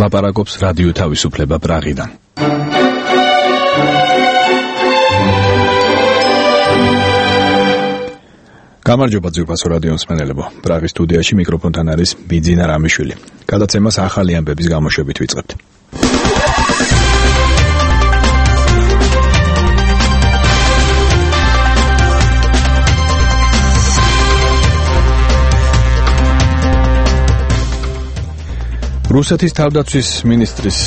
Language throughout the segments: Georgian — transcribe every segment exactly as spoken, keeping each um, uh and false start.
ლაპარაკობს რადიო თავისუფლება პრაღიდან. გამარჯობა ძვირფასო რადიო მსმენელებო. პრაღის სტუდიაში მიკროფონთან არის ბიძინა რამიშვილი. გადაცემას ახალი ამბების გამოშვებით ვიწყებთ. რუსეთის თავდაცვის მინისტრის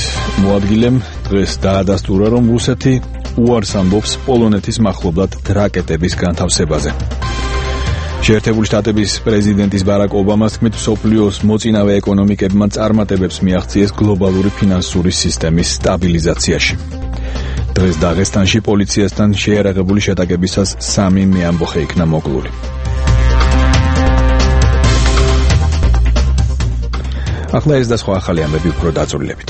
მოადგილემ დღეს დაადასტურა, რომ რუსეთი უარს ამბობს პოლონეთის მახლობლად რაკეტების განთავსებაზე. შეერთებული შტატების პრეზიდენტის ბარაკ ობამას თქმით, მსოფლიოს მოწინავე ეკონომიკებმა წარმატებებს მიაღწიეს გლობალური ფინანსური სისტემის სტაბილიზაციაში. დღეს დაღესტანში პოლიციასთან შეიარაღებული შეტაკებისას სამი მეამბოხე იქნა მოკლული. ახლა ეს და სხვა ახალი ამბები უფრო დაწვრილებით.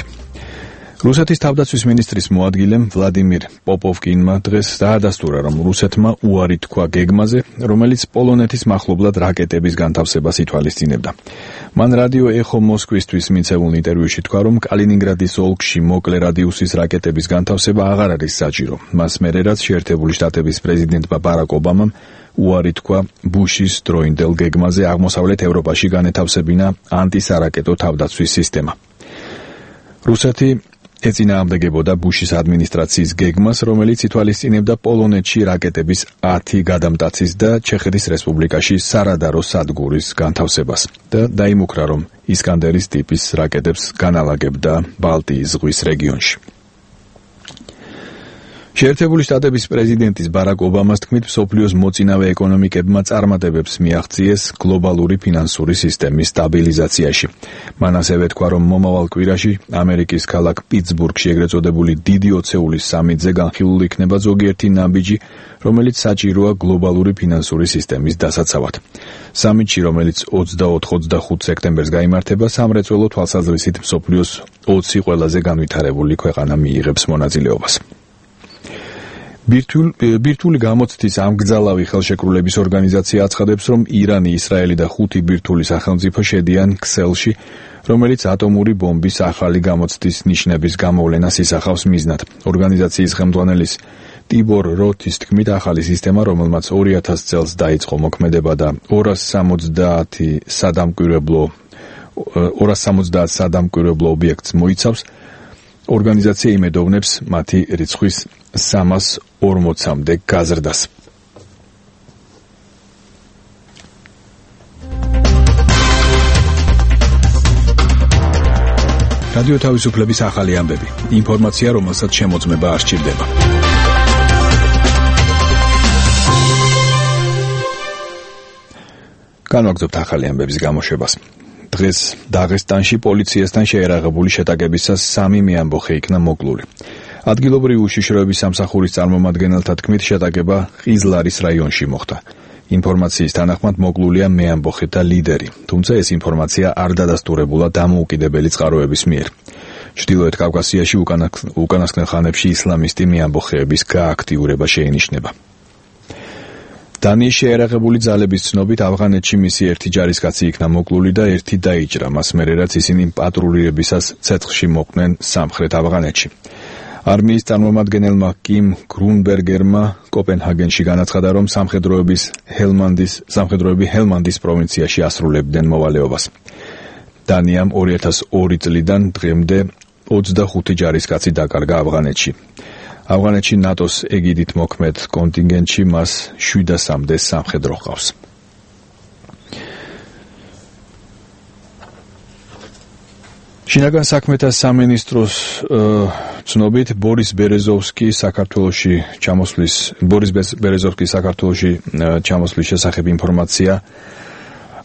რუსეთის თავდაცვის მინისტრის მოადგილემ ვლადიმირ პოპოვკინმა დღეს დაადასტურა, რომ რუსეთმა უარი თქვა გეგმაზე, რომელიც პოლონეთის მახლობლად რაკეტების განთავსებას ითვალისწინებდა. მან რადიო ეხო მოსკვისთვის მიცემულ ინტერვიუში თქვა, რომ კალინინგრადის ოლქში მოკლე რადიუსის რაკეტების განთავსება აღარ არის საჭირო. მას მერე რაც შეერთებული შტატების პრეზიდენტმა ბარაკ ობამამ უარი თქვა ბუშის დროინდელ გეგმაზე აღმოსავლეთ ევროპაში განეთავსებინა ანტისარაკეტო თავდაცვის სისტემა. რუსეთი ეწინააღმდეგებოდა ბუშის ადმინისტრაციის გეგმას, რომელიც ითვალისწინებდა პოლონეთში რაკეტების ათი გადამტაცის და ჩეხეთის რესპუბლიკაში სარადარო სადგურის განთავსებას და დაიმუქრა, რომ ისკანდერის ტიპის რაკეტებს განალაგებდა ბალტიის ზღვის რეგიონში. შეერთებული შტატების პრეზიდენტის ბარაკ ობამას თქმით, მსოფლიოს მოწინავე ეკონომიკებმა წარმატებებს მიაღწიეს გლობალური ფინანსური სისტემის სტაბილიზაციაში. მან ასევე თქვა, რომ მომავალ კვირაში ამერიკის ქალაქ პიტსბურგში ეგრეთ წოდებული დიდი ოცეულის სამიტზე განხილული იქნება ზოგიერთი ნაბიჯი, რომელიც საჭიროა გლობალური ფინანსური სისტემის დასაცავად. სამიტში, რომელიც ოცდაოთხ ოცდახუთ სექტემბერს გაიმართება, სამრეწველო თვალსაზრისით მსოფლიოს ოცი ყველაზე განვითარებული ქვეყანა მიიღებს მონაწილეობას. ბირთვული გამოცდის ამგზალავი ხელშეკრულების ორგანიზაცია აცხადებს, რომ ირანი, ისრაელი და ხუთი ბირთვული სახელმწიფო შედიან ქსელში, რომელიც ატომური ბომბის ახალი გამოცდის ნიშნების გამოვლენას ისახავს მიზნად. ორგანიზაციის ხელმძღვანელის ტიბორ როთის თქმით, ახალი სისტემა, რომელმაც ორი ათას წელს დაიწყო მოქმედება და ორას სამოცდაათი სადამკვირვებლო ორას სამოცდაათ სადამკვირვებლო ობიექტს მოიცავს, ორგანიზაცია იმედოვნებს მათი რიცხვის სამას ორმოცამდე გაზრდას. რადიო თავისუფლების ახალი ამბები. ინფორმაცია, რომელსაც შემოწმება არ სჭირდება. განვაგრძობთ ახალი ამბების გამოშვებას. დღეს დაღესტანში პოლიციასთან შეიარაღებული შეტაკებისას სამი მეამბოხე იქნა მოკლული. ადგილობრივი უშიშროების სამსახურის წარმომადგენელთა თქმით, შეტაკება ყიზლარის რაიონში მოხდა. ინფორმაციის თანახმად მოკლულია მეამბოხეთა ლიდერი, თუმცა ეს ინფორმაცია არ დადასტურებულა დამოუკიდებელი წყაროების მიერ. ჩრდილოეთ კავკასიაში უკანასკნელ ხანებში ისლამისტი მეამბოხეების გააქტიურება შეინიშნება. დანიის შეიარაღებული ძალების ცნობით, ავღანეთში მისი ერთი ჯარისკაცი იქნა მოკლული და ერთი დაიჭრა, მას მერე რაც ისინი პატრულირებისას ცეცხლში მოხვდნენ სამხრეთ ავღანეთში. არმიის წარმომადგენელმა კიმ გრუნბერგერმა კოპენჰაგენში განაცხადა, რომ სამხედროების ჰელმანდის სამხედროები ჰელმანდის პროვინციაში ასრულებდნენ მოვალეობას. დანიამ ორი ათას ორი წლიდან დღემდე ოცდახუთი ჯარისკაცი დაკარგა ავღანეთში. ავღანეთში ნატოს ეგიდით მოქმედ კონტინგენტში მას შვიდასამდე სამხედრო ჰყავს. შინაგან საქმეთა სამინისტროს ცნობით, ბორის ბერეზოვსკი საქართველოში ჩამოსვლის ბორის ბერეზოვსკის საქართველოში ჩამოსვლის შესახებ ინფორმაცია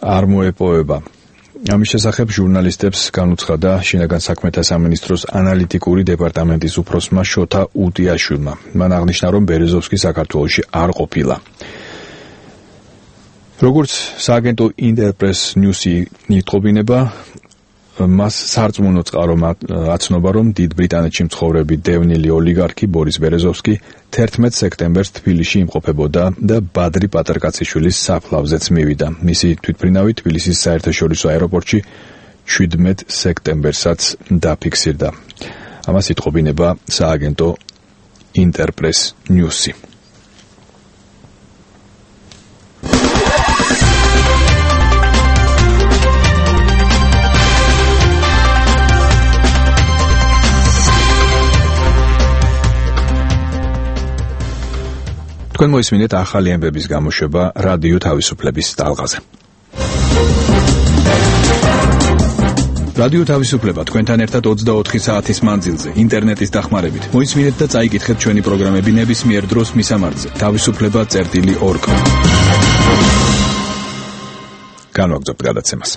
არ მოეპოვება. ამის შესახებ ჟურნალისტებს განუცხადა შინაგან საქმეთა სამინისტროს ანალიტიკური დეპარტამენტის უფროსმა შოთა უტიაშვილმა. მან აღნიშნა, რომ ბერეზოვსკი საქართველოში არ ყოფილა. როგორც სააგენტო ინტერპრეს ნიუსი იტყობინება, მას სარწმუნო წყარო აცნობა, რომ დიდ ბრიტანეთში მცხოვრები დევნილი ოლიგარქი ბორის ბერეზოვსკი თერთმეტ სექტემბერს თბილისში იმყოფებოდა და ბადრი პატრკაციშვილის საფლავზეც მივიდა. მისი თვითმფრინავი თბილისის საერთაშორისო აეროპორტში შვიდმეტ სექტემბერსაც დაფიქსირდა. ამას იტყობინება სააგენტო ინტერპრეს ნიუსი. თქვენ მოისმინეთ ახალი ამბების გამოშვება რადიო თავისუფლების ტალღაზე. რადიო თავისუფლება თქვენთან ერთად ოცდაოთხი საათის მანძილზე ინტერნეტის დახმარებით. მოისმინეთ და წაიკითხეთ ჩვენი პროგრამები ნებისმიერ დროს მისამართზე თავისუფლება წერტილი ორგ. განვაგრძობთ გადაცემას.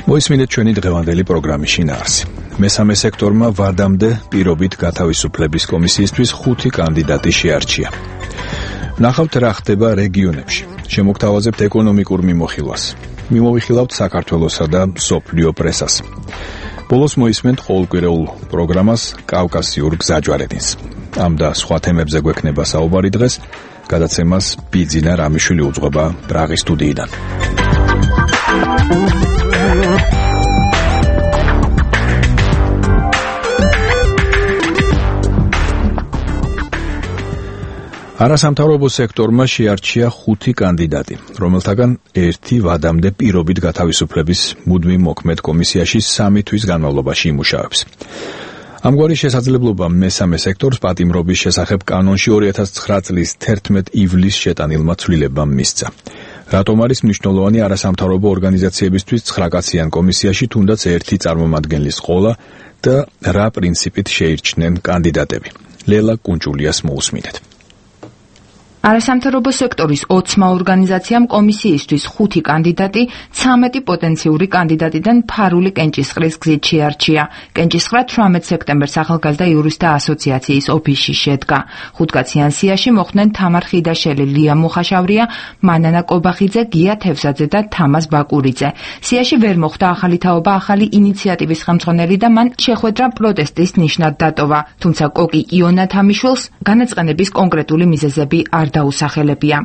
მოისმინეთ ჩვენი დღევანდელი პროგრამის შინაარსი. მესამე სექტორმა ვადამდე პირობით გათავისუფლების კომისიისთვის ხუთი კანდიდატი შეარჩია. ნახავთ რა ხდება რეგიონებში. შემოგთავაზებთ ეკონომიკურ მიმოხილვას. მიმოვიხილავთ საქართველოსა და მსოფლიო პრესას. ბოლოს მოისმენთ ყოველკვირეულ პროგრამას კავკასიურ გზაჯვარედინს. ამ და სხვა თემებზე გვექნება საუბარი დღეს. გადაცემას ბიძინა რამიშვილი უძღვება პრაღის სტუდიიდან. არასამთავრობო სექტორმა შეარჩია ხუთი კანდიდატი, რომელთაგან ერთი ვადამდე პირობით გათავისუფლების მუდმივ მოქმედ კომისიაში სამი თვის განმავლობაში იმუშავებს. ამგვარი შესაძლებლობა მესამე სექტორს პატიმრობის შესახებ კანონში ორი ათას ცხრა წლის თერთმეტ ივლისს შეტანილმა ცვლილებამ მისცა. რატომ არის მნიშვნელოვანი არასამთავრობო ორგანიზაციებისთვის ცხრაკაციან კომისიაში თუნდაც ერთი წარმომადგენლის ყოლა და რა პრინციპით შეირჩნენ კანდიდატები? ლელა კუნჭულიას მოусმინეთ. არასამთავრობო სექტორის ოცმა ორგანიზაციამ კომისიისთვის ხუთი კანდიდატი ცამეტი პოტენციური კანდიდატიდან ფარული კენჭისყრის გზით შეარჩია. კენჭისყრა თვრამეტ სექტემბერს ახალგაზრდა იურისტთა ასოციაციის ოფისში შედგა. ხუთკაციან სიაში მოხვდნენ თამარ ხიდაშელი, ლია მუხაშავრია, მანანა კობახიძე, გია თევზაძე და თამაზ ბაკურიძე. სიაში ვერ მოხვდა ახალი თაობა ახალი ინიციატივის ხელმძღვანელი და მან შეხვედრა პროტესტის ნიშნად დატოვა. თუმცა კოკი იონა თამიშვილს განაწყენების კონკრეტული მიზეზები არ დაუსახელებია.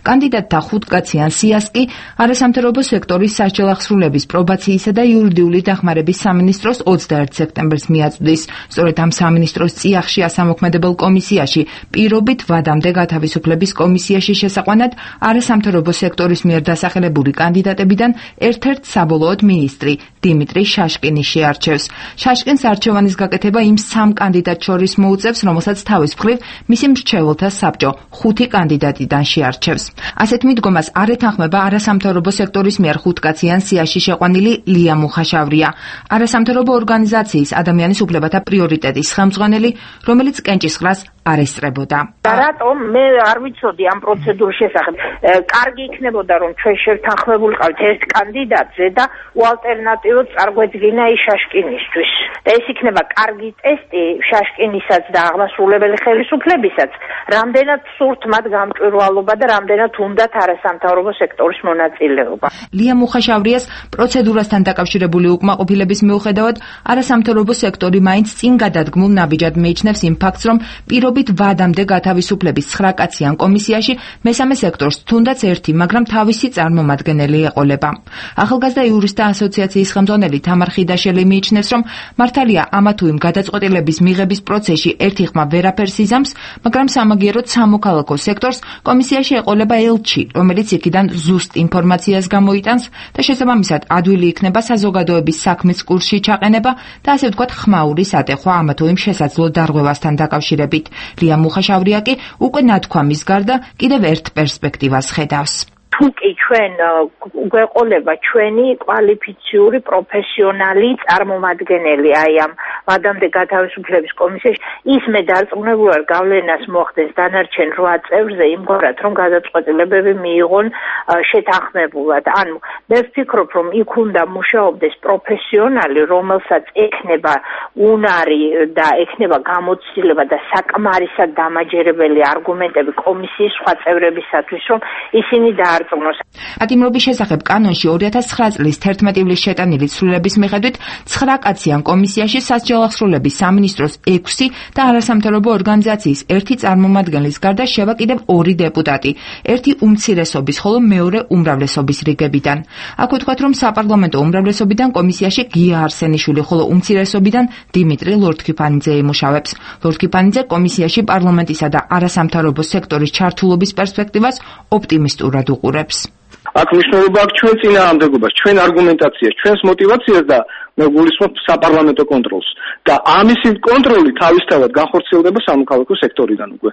კანდიდატთა ხუთკაციან სიას კი არასამთავრობო სექტორის სასჯელ აღსრულების პრობაციისა და იურიდიული დახმარების სამინისტროს ოცდაერთ სექტემბერს მიაწვდის. სწორედ ამ სამინისტროს წიაღში ასამოქმედებელ კომისიაში პირობით ვადამდე გათავისუფლების კომისიაში შესაყვანად არასამთავრობო სექტორის მიერ დასახელებული კანდიდატებიდან ერთ-ერთ საბოლოოდ მინისტრი დიმიტრი შაშკინი შეარჩევს. შაშკინს არჩევანის გაკეთება იმ სამ კანდიდატ შორის მოუწევს, რომელსაც თავის მხრივ მისი მრჩეველთა საბჭო ხუთი კანდიდატიდან შეარჩევს. ასეთ მიდგომას არ ეთანხმება არასამთავრობო სექტორის მიერ ხუთკაციან სიაში შეყვანილი ლია მუხაშავრია, არასამთავრობო ორგანიზაციის ადამიანის უფლებათა პრიორიტეტის ხელმძღვანელი, რომელიც კენჭისყრას არ ესწრებოდა. რატომ მე არ ვიცოდი ამ პროცედურის შესახებ. კარგი იქნებოდა რომ ჩვენ შევთანხმებულიყავით ერთ კანდიდატზე და უალტერნატივოდ წარგვედგინა ის შაშკინისთვის. და ეს იქნება კარგი ტესტი შაშკინისაც და აღმასრულებელი ხელისუფლებისაც, რამდენად სურთ მათ გამჭვირვალობა და რამდენად უნდათ არასამთავრობო სექტორის მონაწილეობა. ლია მუხაშავრიას პროცედურასთან დაკავშირებული უკმაყოფილების მიუხედავად არასამთავრობო სექტორი მაინც წინ გადადგმულ ნაბიჯად მიიჩნევს იმ ფაქტს, რომ პირობით ვადამდე გათავისუფლების ცხრაკაციან კომისიაში მესამე სექტორს თუნდაც ერთი, მაგრამ თავისი წარმომადგენელი ეყოლება. ახალგაზრდა იურისტთა ასოციაციის ხელმძღვანელი თამარ ხიდაშელი მიიჩნევს, რომ მართალია ამა თუ იმ გადაწყვეტილების მიღების პროცესში ერთი ხმა ვერაფერს იზამს, მაგრამ სამაგიეროდ სამოქალაქო სექტორს კომისიაში ეყოლება ელჩი, რომელიც იქიდან ზუსტ ინფორმაციას გამოიტანს და შესაბამისად ადვილი იქნება საზოგადოების საქმის კურსში ჩაყენება და ასე ვთქვათ ხმაური სატეხვა ამა თუ იმ შესაძლო დარღვევასთან დაკავშირებით. ლია მუხაშავრია კი უკვე ნათქვამის გარდა კიდევ ერთ პერსპექტივას ხედავს. თუ კი ჩვენ გვეყოლება ჩვენი კვალიფიციური პროფესიონალი წარმომადგენელი აი ამ ვადამდე გათავისუფლების კომისიაში, ის მე დარწმუნებული ვარ გავლენას მოხდენს დანარჩენ რვა წევრზე იმგვარად, რომ გადაწყვეტილებები მიიღონ შეთანხმებულად. ანუ მე ვფიქრობ, რომ იქ უნდა მუშაობდეს პროფესიონალი, რომელსაც ექნება უნარი და ექნება გამოცდილება და საკმარისად დამაჯერებელი არგუმენტები კომისიის სხვა წევრებისათვის, რომ ისინი დაარწმუნოს. ატიმრობის შესახებ კანონში ორი ათას ცხრა წლის თერთმეტი ივლისს შეტანილი ცვლილებების მიხედვით ცხრა კაციან კომისიაში სასჯელ ახსრულების სამინისტროს ექვსი და არასამთავრობო ორგანიზაციის ერთი წარმომადგენლის გარდა შევა კიდევ ორი დეპუტატი, ერთი უმცირესობის, ხოლო მეორე უმრავლესობის რიგებიდან. აქ ვთქვათ, რომ საპარლამენტო უმრავლესობიდან კომისიაში გია არსენიშვილი, ხოლო უმცირესობიდან დიმიტრი ლორთქიფანიძე იმუშავებს. ლორთქიფანიძე კომისიაში პარლამენტისა და არასამთავრობო სექტორის ჩართულობის პერსპექტივას ოპტიმისტურად უყურებს. აქ მნიშვნელობა აქვს ჩვენ წინააღმდეგობას, ჩვენ არგუმენტაციას, ჩვენს მოტივაციას და მე გულისხმობ საპარლამენტო კონტროლს. და ამისი კონტროლი თავისთავად განხორციელდება სამოქალაქო სექტორიდან უკვე.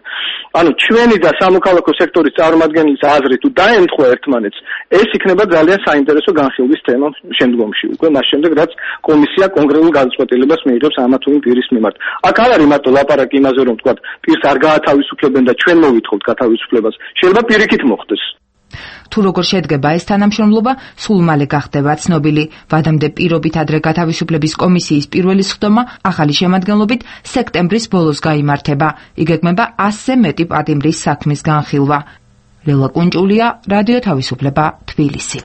ანუ ჩვენი და სამოქალაქო სექტორის წარმომადგენლის აზრი თუ დაემთხვა ერთმანეთს, ეს იქნება ძალიან საინტერესო განხილვის თემა შემდგომში. უკვე მას შემდეგ რაც კომისია კონკრეტულ გადაწყვეტილებას მიიღებს ამა თუ იმ პირის მიმართ. აქ არ არის მარტო ლაპარაკი იმაზე, რომ თქვა პირს არ გაათავისუფლებენ და ჩვენ მოვითხოვთ გათავისუფლებას. შეიძლება პირიქით მოხდეს. თუ როგორ შედგება ეს თანამშრომლობა, სულ მალე გახდება ცნობილი. ვადამდე პირობით ადრე გათავისუფლების კომისიის პირველი სხდომა ახალი შემადგენლობით სექტემბრის ბოლოს გაიმართება. იგეგმება ასზე მეტი პატიმრის საქმის განხილვა. ლელა კუნჭულია, რადიო თავისუფლება, თბილისი.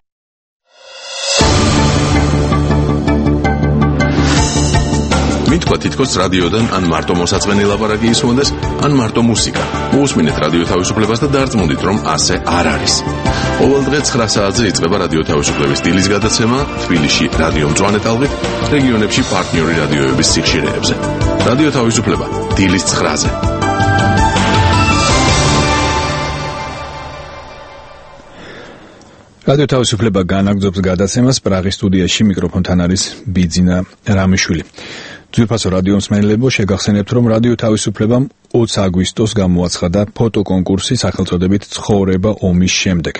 მითქვა თითქოს რადიოდან ან მარტო მოსაწყენი ლაპარაკი ისმოდეს, ან მარტო მუსიკა. მოусმინეთ რადიო თავისუფლებას და დარწმუნდით, რომ ასე არ არის. ყოველ დღე ცხრა საათზე იწყება რადიო თავისუფლების დილის გადაცემა თბილისში რადიო მწვანე ტალღით, რეგიონებში პარტნიორი რადიოების სიხშირეებზე. რადიო თავისუფლება დილის ცხრაზე. რადიო თავისუფლება განაგრძობს გადაცემას. პრაღის სტუდიაში მიკროფონთან არის ბიძინა რამიშვილი. ძვირფასო რადიო მსმენელებო, შეგახსენებთ, რომ რადიო თავისუფლებამ ოცი აგვისტოს გამოაცხადა ფოტოკონკურსი სახელწოდებით ცხოვრება ომის შემდეგ.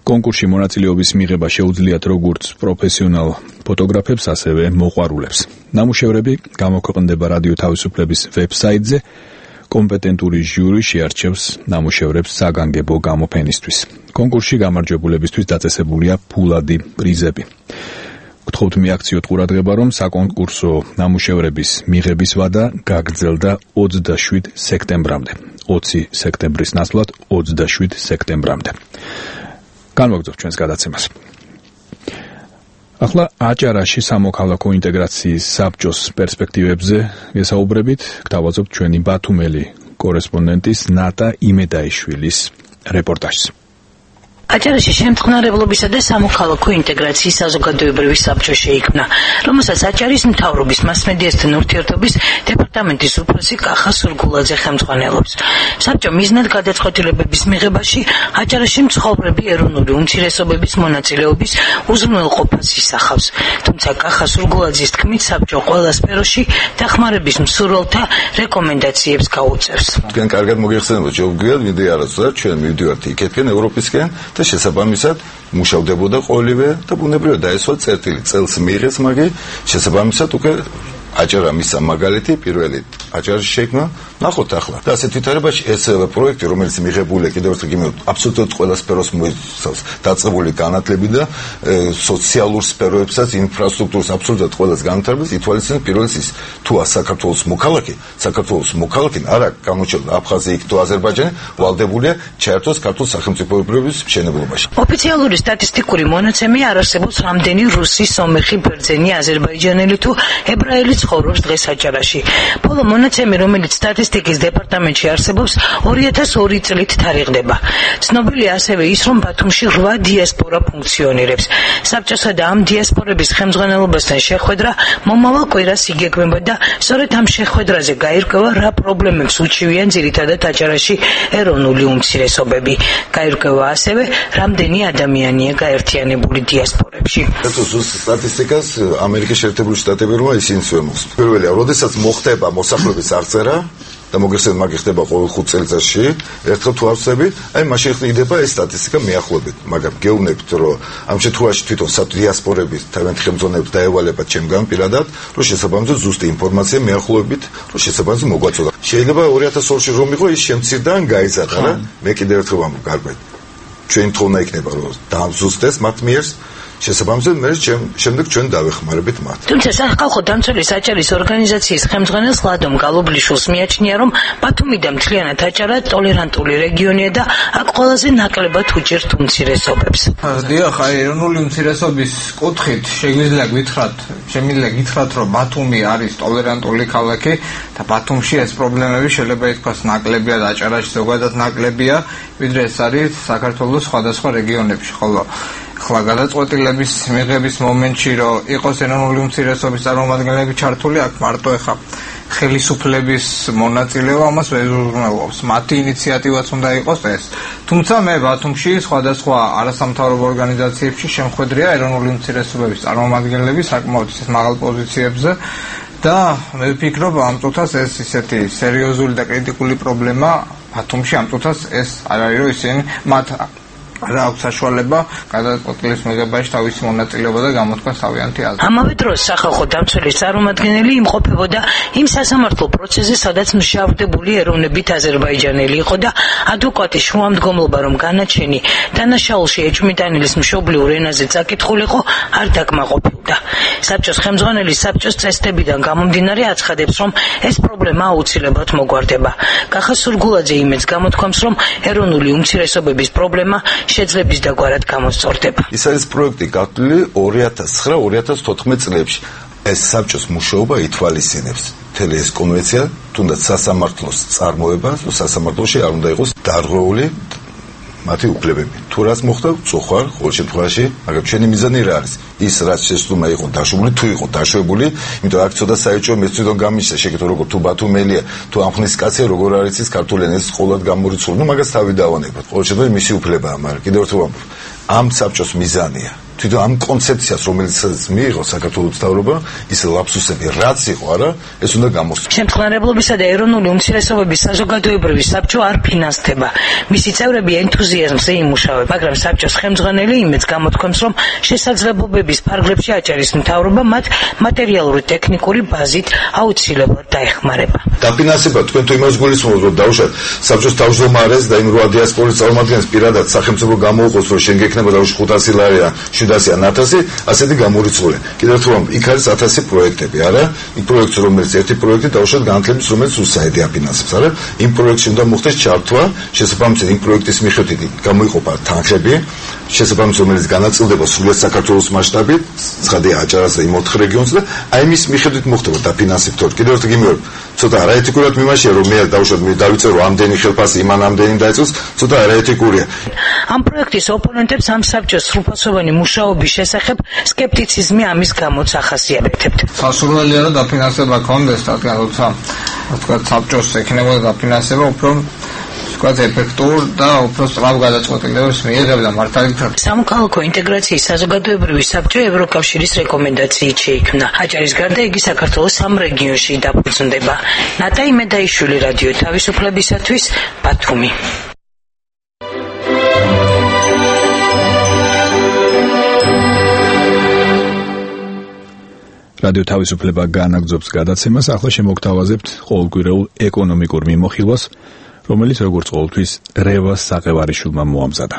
კონკურსში მონაწილეობის მიღება შეუძლიათ როგორც პროფესიონალ ფოტოგრაფებს, ასევე მოყვარულებს. ნამუშევრები გამოქვეყნდება რადიო თავისუფლების ვებსაიტზე. კომპეტენტური ჟიური შეარჩევს ნამუშევრებს საგანგებო გამოფენისთვის. კონკურსში გამარჯვებულებისთვის დაწესებულია ფულადი პრიზები. გთხოვთ მიაქციოთ ყურადღება, რომ საკონკურსო ნამუშევრების მიღების ვადა გაგრძელდა ოცდაშვიდ სექტემბრამდე. ოცი სექტემბრის ნაცვლად ოცდაშვიდ სექტემბრამდე. განვაგრძობთ ჩვენს გადაცემას. ახლა აჭარაში სამოქალაქო ინტეგრაციის საბჭოს პერსპექტივებზე ვესაუბრებით. გთავაზობთ ჩვენი ბათუმელი კორესპონდენტის ნატა იმედაიშვილის რეპორტაჟს. აჭარაში შემწყნარებლობისა და სამოქალაქო ინტეგრაციის საზოგადოებრივი საბჭო შეიქმნა, რომელსაც აჭარის მთავრობის მასმედიასთან ურთიერთობის დეპარტამენტის უფროსი კახა სურგულაძე ხელმძღვანელობს. საბჭო მიზნად გადაწყვეტილებების მიღებაში აჭარაში მცხოვრები ეროვნული უმცირესობების მონაწილეობის უზრუნველყოფას ისახავს. თუმცა კახა სურგულაძის თქმით, საბჭო ყველა სფეროში დახმარების მსურველთა რეკომენდაციებს გაუწევს. თქვენ კარგად მოგეხსენებათ, შეგვიძლია ვიდეო არასწორ ჩვენ მივდივართ იქეთკენ ევროპისკენ და შესაბამისად მუშავდებოდა ყოველივე და ბუნებრივად დაესვა წერტილი წელს მიიღეს, მაგრამ შესაბამისად უკვე აჭარა მისცა მაგალითი პირველი აჭარაში შექმნა. ნახოთ ახლა და ასეთ ვითარებაში ეს პროექტი, რომელიც მიღებულია კიდევ ერთხელ გიმეორ აბსოლუტურად ყველა სფეროს მოიცავს დაწყებული განათლები და სოციალურ სფეროებსაც, ინფრასტრუქტურას აბსოლუტურად ყველას განვითარებას ითვალისწინებს. პირველიც ის თუ საქართველოს მოქალაქე, საქართველოს მოქალაქე არა გამოჩნდა აფხაზი იქ თუ აზერბაიჯანი, ვალდებულია ჩაერთოს ქართულ სახელმწიფოებრიობის მშენებლობაში. ოფიციალური სტატისტიკური მონაცემი არ არსებობს, რამდენი რუსი, სომეხი, ბერძენი, აზერბაიჯანელი თუ ებრაელი ცხოვრობს დღეს აჭარაში. ბოლო მონაცემი, რომელიც სტატისტიკის დეპარტამენტში არსებობს, ორი ათას ორი წლით თარიღდება. ცნობილია ასევე ის, რომ ბათუმში რვა დიასპორა ფუნქციონირებს. საბჭოსა და ამ დიასპორების ხელმძღვანელობასთან შეხვედრა მომავალ კვირას იგეგმება და სწორედ ამ შეხვედრაზე გაირკვევა, რა პრობლემებს უჩივიან ძირითადად აჭარაში ეროვნული უმცირესობები. გაირკვევა ასევე, რამდენი ადამიანია გაერთიანებული დიასპორებში. სტატისტიკას ამერიკის შეერთებული შტატები რომ ისინი ვემოს. პირველია, როდესაც მოხდება მოსახლეობის აღწერა და მოგეხსენებათ, მაგ ხდება ყოველ ხუთ წელიწადში, ერთხელ თუ არსები, აი მაშინ ხდება ეს სტატისტიკა მიახლოებით. მაგრამ გეუბნებით, რომ ამ შემთხვევაში თვითონ დიასპორების თავიანთი ხელმძღვანელებს დაევალებათ ჩემგან პირადად, რომ შესაბამისად ზუსტი ინფორმაცია მიახლოებით, რომ შესაბამისად მოგვაწოდა. შეიძლება ორი ათას ორში რომ იყო ის შემცირდა ან გაიზარდა რა. მე კიდევ ერთხელ ვამბობ, გარკვევით. ჩვენ თხოვნა იქნება, რომ დაამზუსტეს მათ მიერს შესაბამისად მე შემდეგ ჩვენ დავეხმარებით მათ. თუმცა სახალხო დამცველი საჭირის ორგანიზაციის ხელმძღვანელს ლადომ გალობლიშვილს მიაჩნია, რომ ბათუმი და მთლიანად აჭარა ტოლერანტული რეგიონია და აქ ყველაზე ნაკლებად უჭერთ უმცირესობებს. დიახ, აი ეროვნული უმცირესობის კუთხით შეგვიძლია გითხრათ, შემიძლია გითხრათ, რომ ბათუმი არის ტოლერანტული ქალაქი და ბათუმში ეს პრობლემები შეიძლება ითქვას ნაკლებია და აჭარაში ზოგადად ნაკლებია, ვიდრე ეს არის საქართველოს სხვადასხვა რეგიონებში, ხოლო ახლა გადაწყვეტილების მიღების მომენტში რომ იყოს ეროვნული უმცირესობის წარმომადგენლები ჩართული, აქ მარტო ეხა ხელისუფლების მონაწილეობა ამას ვერ უზრუნველყოფს. მათი ინიციატივაც უნდა იყოს ეს. თუმცა მე ბათუმში სხვადასხვა არასამთავრობო ორგანიზაციებში შემხედრია ეროვნული უმცირესობების წარმომადგენლები საკმაოდ მაღალ პოზიციებზე და მე ვფიქრობ ამ წუთას ეს ისეთი სერიოზული და კრიტიკული პრობლემა ბათუმში ამ წუთას ეს არ არის რომ ისინი მათ რა აქვს საშუალება გადაწყვეტილის მიღებაში თავისი მონაწილეობა და გამოთქვა თავიანთი აზრი. ამავე დროს სახალხო დამცველის წარმომადგენელი იმყოფებოდა იმ სასამართლო პროცესზე, სადაც მშავდებული ეროვნებით აზერბაიჯანელი იყო და ადვოკატის შუამდგომლობა, რომ განაჩენი დანაშაულში ეჭვმიტანილის მშობლიურ ენაზე წაკითხულიყო, არ დაკმაყოფილდა. საბჭოს ხელმძღვანელი საბჭოს წესდებიდან გამომდინარე აცხადებს, რომ ეს პრობლემა აუცილებლად მოგვარდება. კახა სურგულაძე იმედს გამოთქვამს, რომ ეროვნული უმცირესობების პრობლემა შეძლების დაგვარად გამოსწორდება. ის არის პროექტი გათვლილი ორი ათას ცხრა ორი ათას თოთხმეტ წლებში. ეს საბჭოს მუშაობა ითვალისწინებს მთელი ეს კონვენცია, თუნდაც სასამართლოს წარმოება, სასამართლოში არ უნდა იყოს დარღვეული მათი უფლებები. თუ რაც მოხდა, წუხარ, ყოველ შემთხვევაში, მაგრამ ჩვენი მიზანი რა არის? ის რაც შესწუმა იყო დაშვებული, თუ იყო დაშვებული, იმიტომ აქ ცოტა საერთო მეც თვითონ გამიშა, შეკითხო როგორ თუ ბათუმელია, თუ ამხნის კაცია როგორ არის ის ქართული ენის ყოლად გამორიცხული, ну მაგას თავი დავანებოთ. ყოველ შემთხვევაში მისი უფლებაა, მაგრამ კიდევ ერთხელ ვამბობ, ამ საბჭოს მიზანია თვითონ ამ კონცეფციას, რომელიც მიიღო საქართველოს მთავრობა, ის ლაფსუსები რაც იყო, არა, ეს უნდა გამოსცეს. შემწყნარებლობისა და ეროვნული უმცირესობების საზოგადოებრივი საბჭო არ ფინანსდება. მისი წევრები ენთუზიაზმზე იმუშავებენ, მაგრამ საბჭოს ხელმძღვანელი იმედს გამოთქვამს, რომ შესაძლებლობების ფარგლებში აჭარის მთავრობა მათ მატერიალური ტექნიკური ბაზით აუცილებლად დაეხმარება. დაფინანსება თქვენ თუ იმას გულისხმობთ, რომ დაუშვათ საბჭოს თავმჯდომარეს და იმ რვა დიასპორის წარმომადგენლებს პირადად სახელმწიფო გამოუყოს, რომ შენ გექნება დაუშვათ ხუთასი ლარი შვიდასი ან ათასი, ასეთი გამორიცხული. კიდევ ერთხელ ვამბობ, იქ არის ათასი პროექტები, არა? იმ პროექტს, რომელიც ერთი პროექტი დაუშვათ განათლების, რომელიც უსაიდი აფინანსებს, არა? იმ პროექტში უნდა მოხდეს ჩართვა, შესაბამისად იმ პროექტის მიხედვით გამოიყოფა თანხები, შესაბამისად რომელიც განაწილდება სრულად საქართველოს მასშტაბით, ცხადია აჭარას და იმ ოთხ რეგიონს და აი მის მიხედვით მოხდება დაფინანსება. კიდევ ერთხელ გიმეორებ, ცოტა არაეთიკურად მიმაშია, რომ მე დაუშვათ მე დავიწერო ამდენი ხელფასი, იმან ამდენი დაიწყოს, ცოტა არაეთიკურია. ამ პროექტის ოპონენტებს ამ საბჭოს სრულფასოვანი მუშაობის შესახებ სკეპტიციზმი ამის გამოც ახასიათებთ. სასურველია რომ დაფინანსება კონდეს, რადგან როცა თქვა საბჭოს ექნებოდა დაფინანსება, უფრო თქვა ეფექტურ და უფრო სწრაფ გადაწყვეტილებებს მიიღებდა მართალი. სამოქალაქო ინტეგრაციის საზოგადოებრივი საბჭო ევროკავშირის რეკომენდაციით შეიქმნა. აჭარის გარდა იგი საქართველოს სამ რეგიონში დაფუძნდება. ნატაი მედაიშვილი, რადიო თავისუფლებისათვის, ბათუმი. რადიო თავისუფლება განაგრძობს გადაცემას, ახლა შემოგთავაზებთ ყოველკვირეულ ეკონომიკურ მიმოხილვას, რომელიც როგორც ყოველთვის რევას საყევარიშვილმა მოამზადა.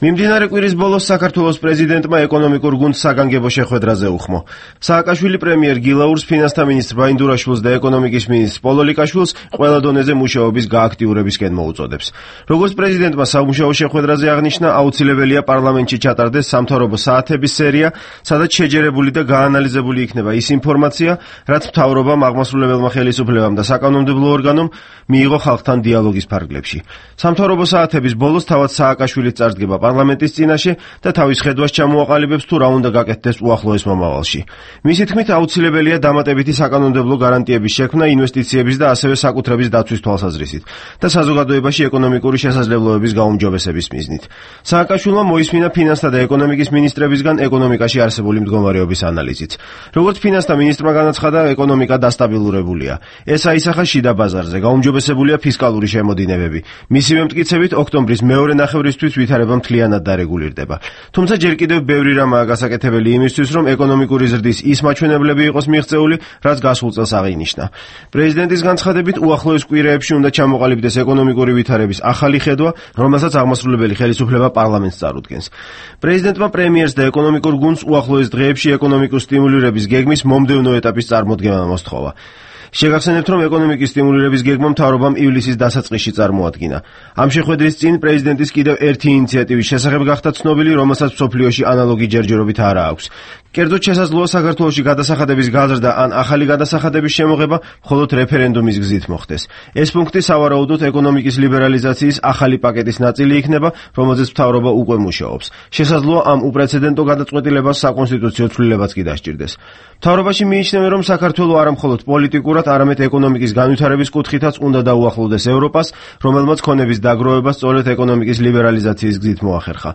მიმდინარე კვირის ბოლოს საქართველოს პრეზიდენტმა ეკონომიკურ გუნდს საგანგებო შეხვედრაზე უხმო. სააკაშვილი პრემიერ გილაურს, ფინანსთა მინისტრ ბაინდურაშვილს და ეკონომიკის მინისტრ პოლოლიკაშვილს ყველა დონეზე მუშაობის გააქტიურებისკენ მოუწოდებს. როგორც პრეზიდენტმა სამუშაო შეხვედრაზე აღნიშნა, აუცილებელია პარლამენტში ჩატარდეს სამთავრობო საათების სერია, სადაც შეჯერებული და გაანალიზებული იქნება ის ინფორმაცია, რაც მთავრობამ, აღმასრულებელმა ხელისუფლებამ და საკანონმდებლო ორგანომ მიიღო ხალხთან დიალოგის ფარგლებში. სამთავრობო საათების ბოლოს თავად სააკაშვილიც წარსდგება პარლამენტის წინაშე და თავის ხედვას ჩამოაყალიბებს თუ რა უნდა გაკეთდეს უახლოეს მომავალში. მისი თქმით, აუცილებელია დამატებითი საკანონმდებლო გარანტიების შექმნა ინვესტიციების და ასევე საკუთრების დაცვის თვალსაზრისით და საზოგადოებაში ეკონომიკური შესაძლებლობების გაუმჯობესების მიზნით. სააკაშვილმა მოისმინა ფინანსთა და ეკონომიკის მინისტრებისგან ეკონომიკაში არსებული მდგომარეობის ანალიზიც. როგორც ფინანსთა მინისტრმა განაცხადა, ეკონომიკა დასტაბილურებულია. ეს აისახა შიდა ბაზარზე, გაუმჯობესებულია ფისკალური შემოდინებები. მისივე მტკიცებით, ოქტომბრის მეორე ნახევრისთვის ვითარება მთლიანად დარეგულირდება. თუმცა ჯერ კიდევ ბევრი რამაა გასაკეთებელი იმისთვის, რომ ეკონომიკური ზრდის ის მაჩვენებლები იყოს მიღწეული, რაც გასულ წელს აღინიშნა. პრეზიდენტის განცხადებით, უახლოეს კვირაებში უნდა ჩამოყალიბდეს ეკონომიკური ვითარების ახალი ხედვა, რომელსაც აღმასრულებელი ხელისუფლება პარლამენტს წარუდგენს. პრეზიდენტმა პრემიერს და ეკონომიკურ გუნდს უახლოეს დღეებში ეკონომიკურ სტიმულირების გეგმის მომდევნო ეტაპის წარმოდგენა მოსთხოვა. შეგახსენებთ, რომ ეკონომიკის სტიმულირების გეგმა მთავრობამ ივლისის დასაწყისში წარმოადგინა. ამ შეხვედრის წინ პრეზიდენტის კიდევ ერთი ინიციატივის შესახებ გახდა ცნობილი, რომელსაც მსოფლიოში ანალოგი ჯერჯერობით არ აქვს. კერძოდ შესაძლოა საქართველოში გადასახადების გაზრდა ან ახალი გადასახადების შემოღება მხოლოდ რეფერენდუმის გზით მოხდეს. ეს პუნქტი სავარაუდოდ ეკონომიკის ლიბერალიზაციის ახალი პაკეტის ნაწილი იქნება, რომელზეც მთავრობა უკვე მუშაობს. შესაძლოა ამ უპრეცედენტო გადაწყვეტილებას საკონსტიტუციო ცვლილებაც კი დასჭირდეს. მთავრობაში მიიჩნევენ, რომ საქართველო არა მხოლოდ პოლიტიკურად, არამედ ეკონომიკის განვითარების კუთხითაც უნდა დაუახლოვდეს ევროპას, რომელმაც ქონების დაგროვება სწორედ ეკონომიკის ლიბერალიზაციის გზით მოახერხა.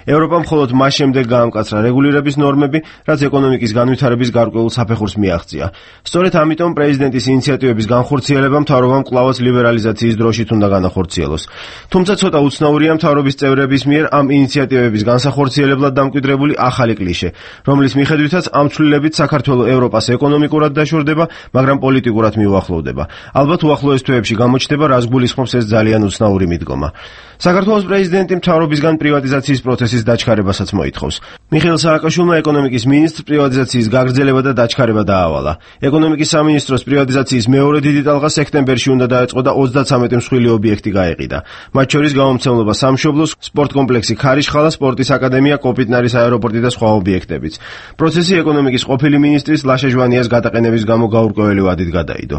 ევროპამ მხოლოდ მას შემდეგ გაამკაცრა რეგულირების ნორმები, რაც ეკონომიკის განვითარების გარკვეულ საფეხურს მიაღწია. სწორედ ამიტომ პრეზიდენტის ინიციატივების განხორციელება მთავრობამ კვლავაც ლიბერალიზაციის დროშით უნდა განახორციელოს. თუმცა ცოტა უცნაურია მთავრობის წევრების მიერ ამ ინიციატივების განსახორციელებლად დამკვიდრებული ახალი კლიშე, რომლის მიხედვითაც ამ ცვლილებით საქართველო ევროპას ეკონომიკურად დაშორდება, მაგრამ პოლიტიკურად მიუახლოვდება. ალბათ უახლოეს თვეებში გამოჩნდება, რას გულისხმობს ეს ძალიან უცნაური მიდგომა. საქართველოს პრეზიდენტი მთავრობისგან პრივატიზაციის პროცესის დაჩქარებასაც მოითხოვს. მიხეილ სააკაშვილმა ეკონომიკის მინისტრს პრივატიზაციის გაგრძელება და დაჩქარება დაავალა. ეკონომიკის სამინისტროს პრივატიზაციის მეორე დიდი ტალღა სექტემბერში უნდა დაეწყო და ოცდაცამეტი მსხვილი ობიექტი გაეყიდა. მათ შორის გამომცემლობა სამშობლოს, სპორტკომპლექსი ქარიშხალა, სპორტის აკადემია, კოპიტნარის აეროპორტი და სხვა ობიექტებიც. პროცესი ეკონომიკის ყოფილი მინისტრის ლაშა ჟვანიას გადაყენების გამო გაურკვეველი ვადით გადაიდო.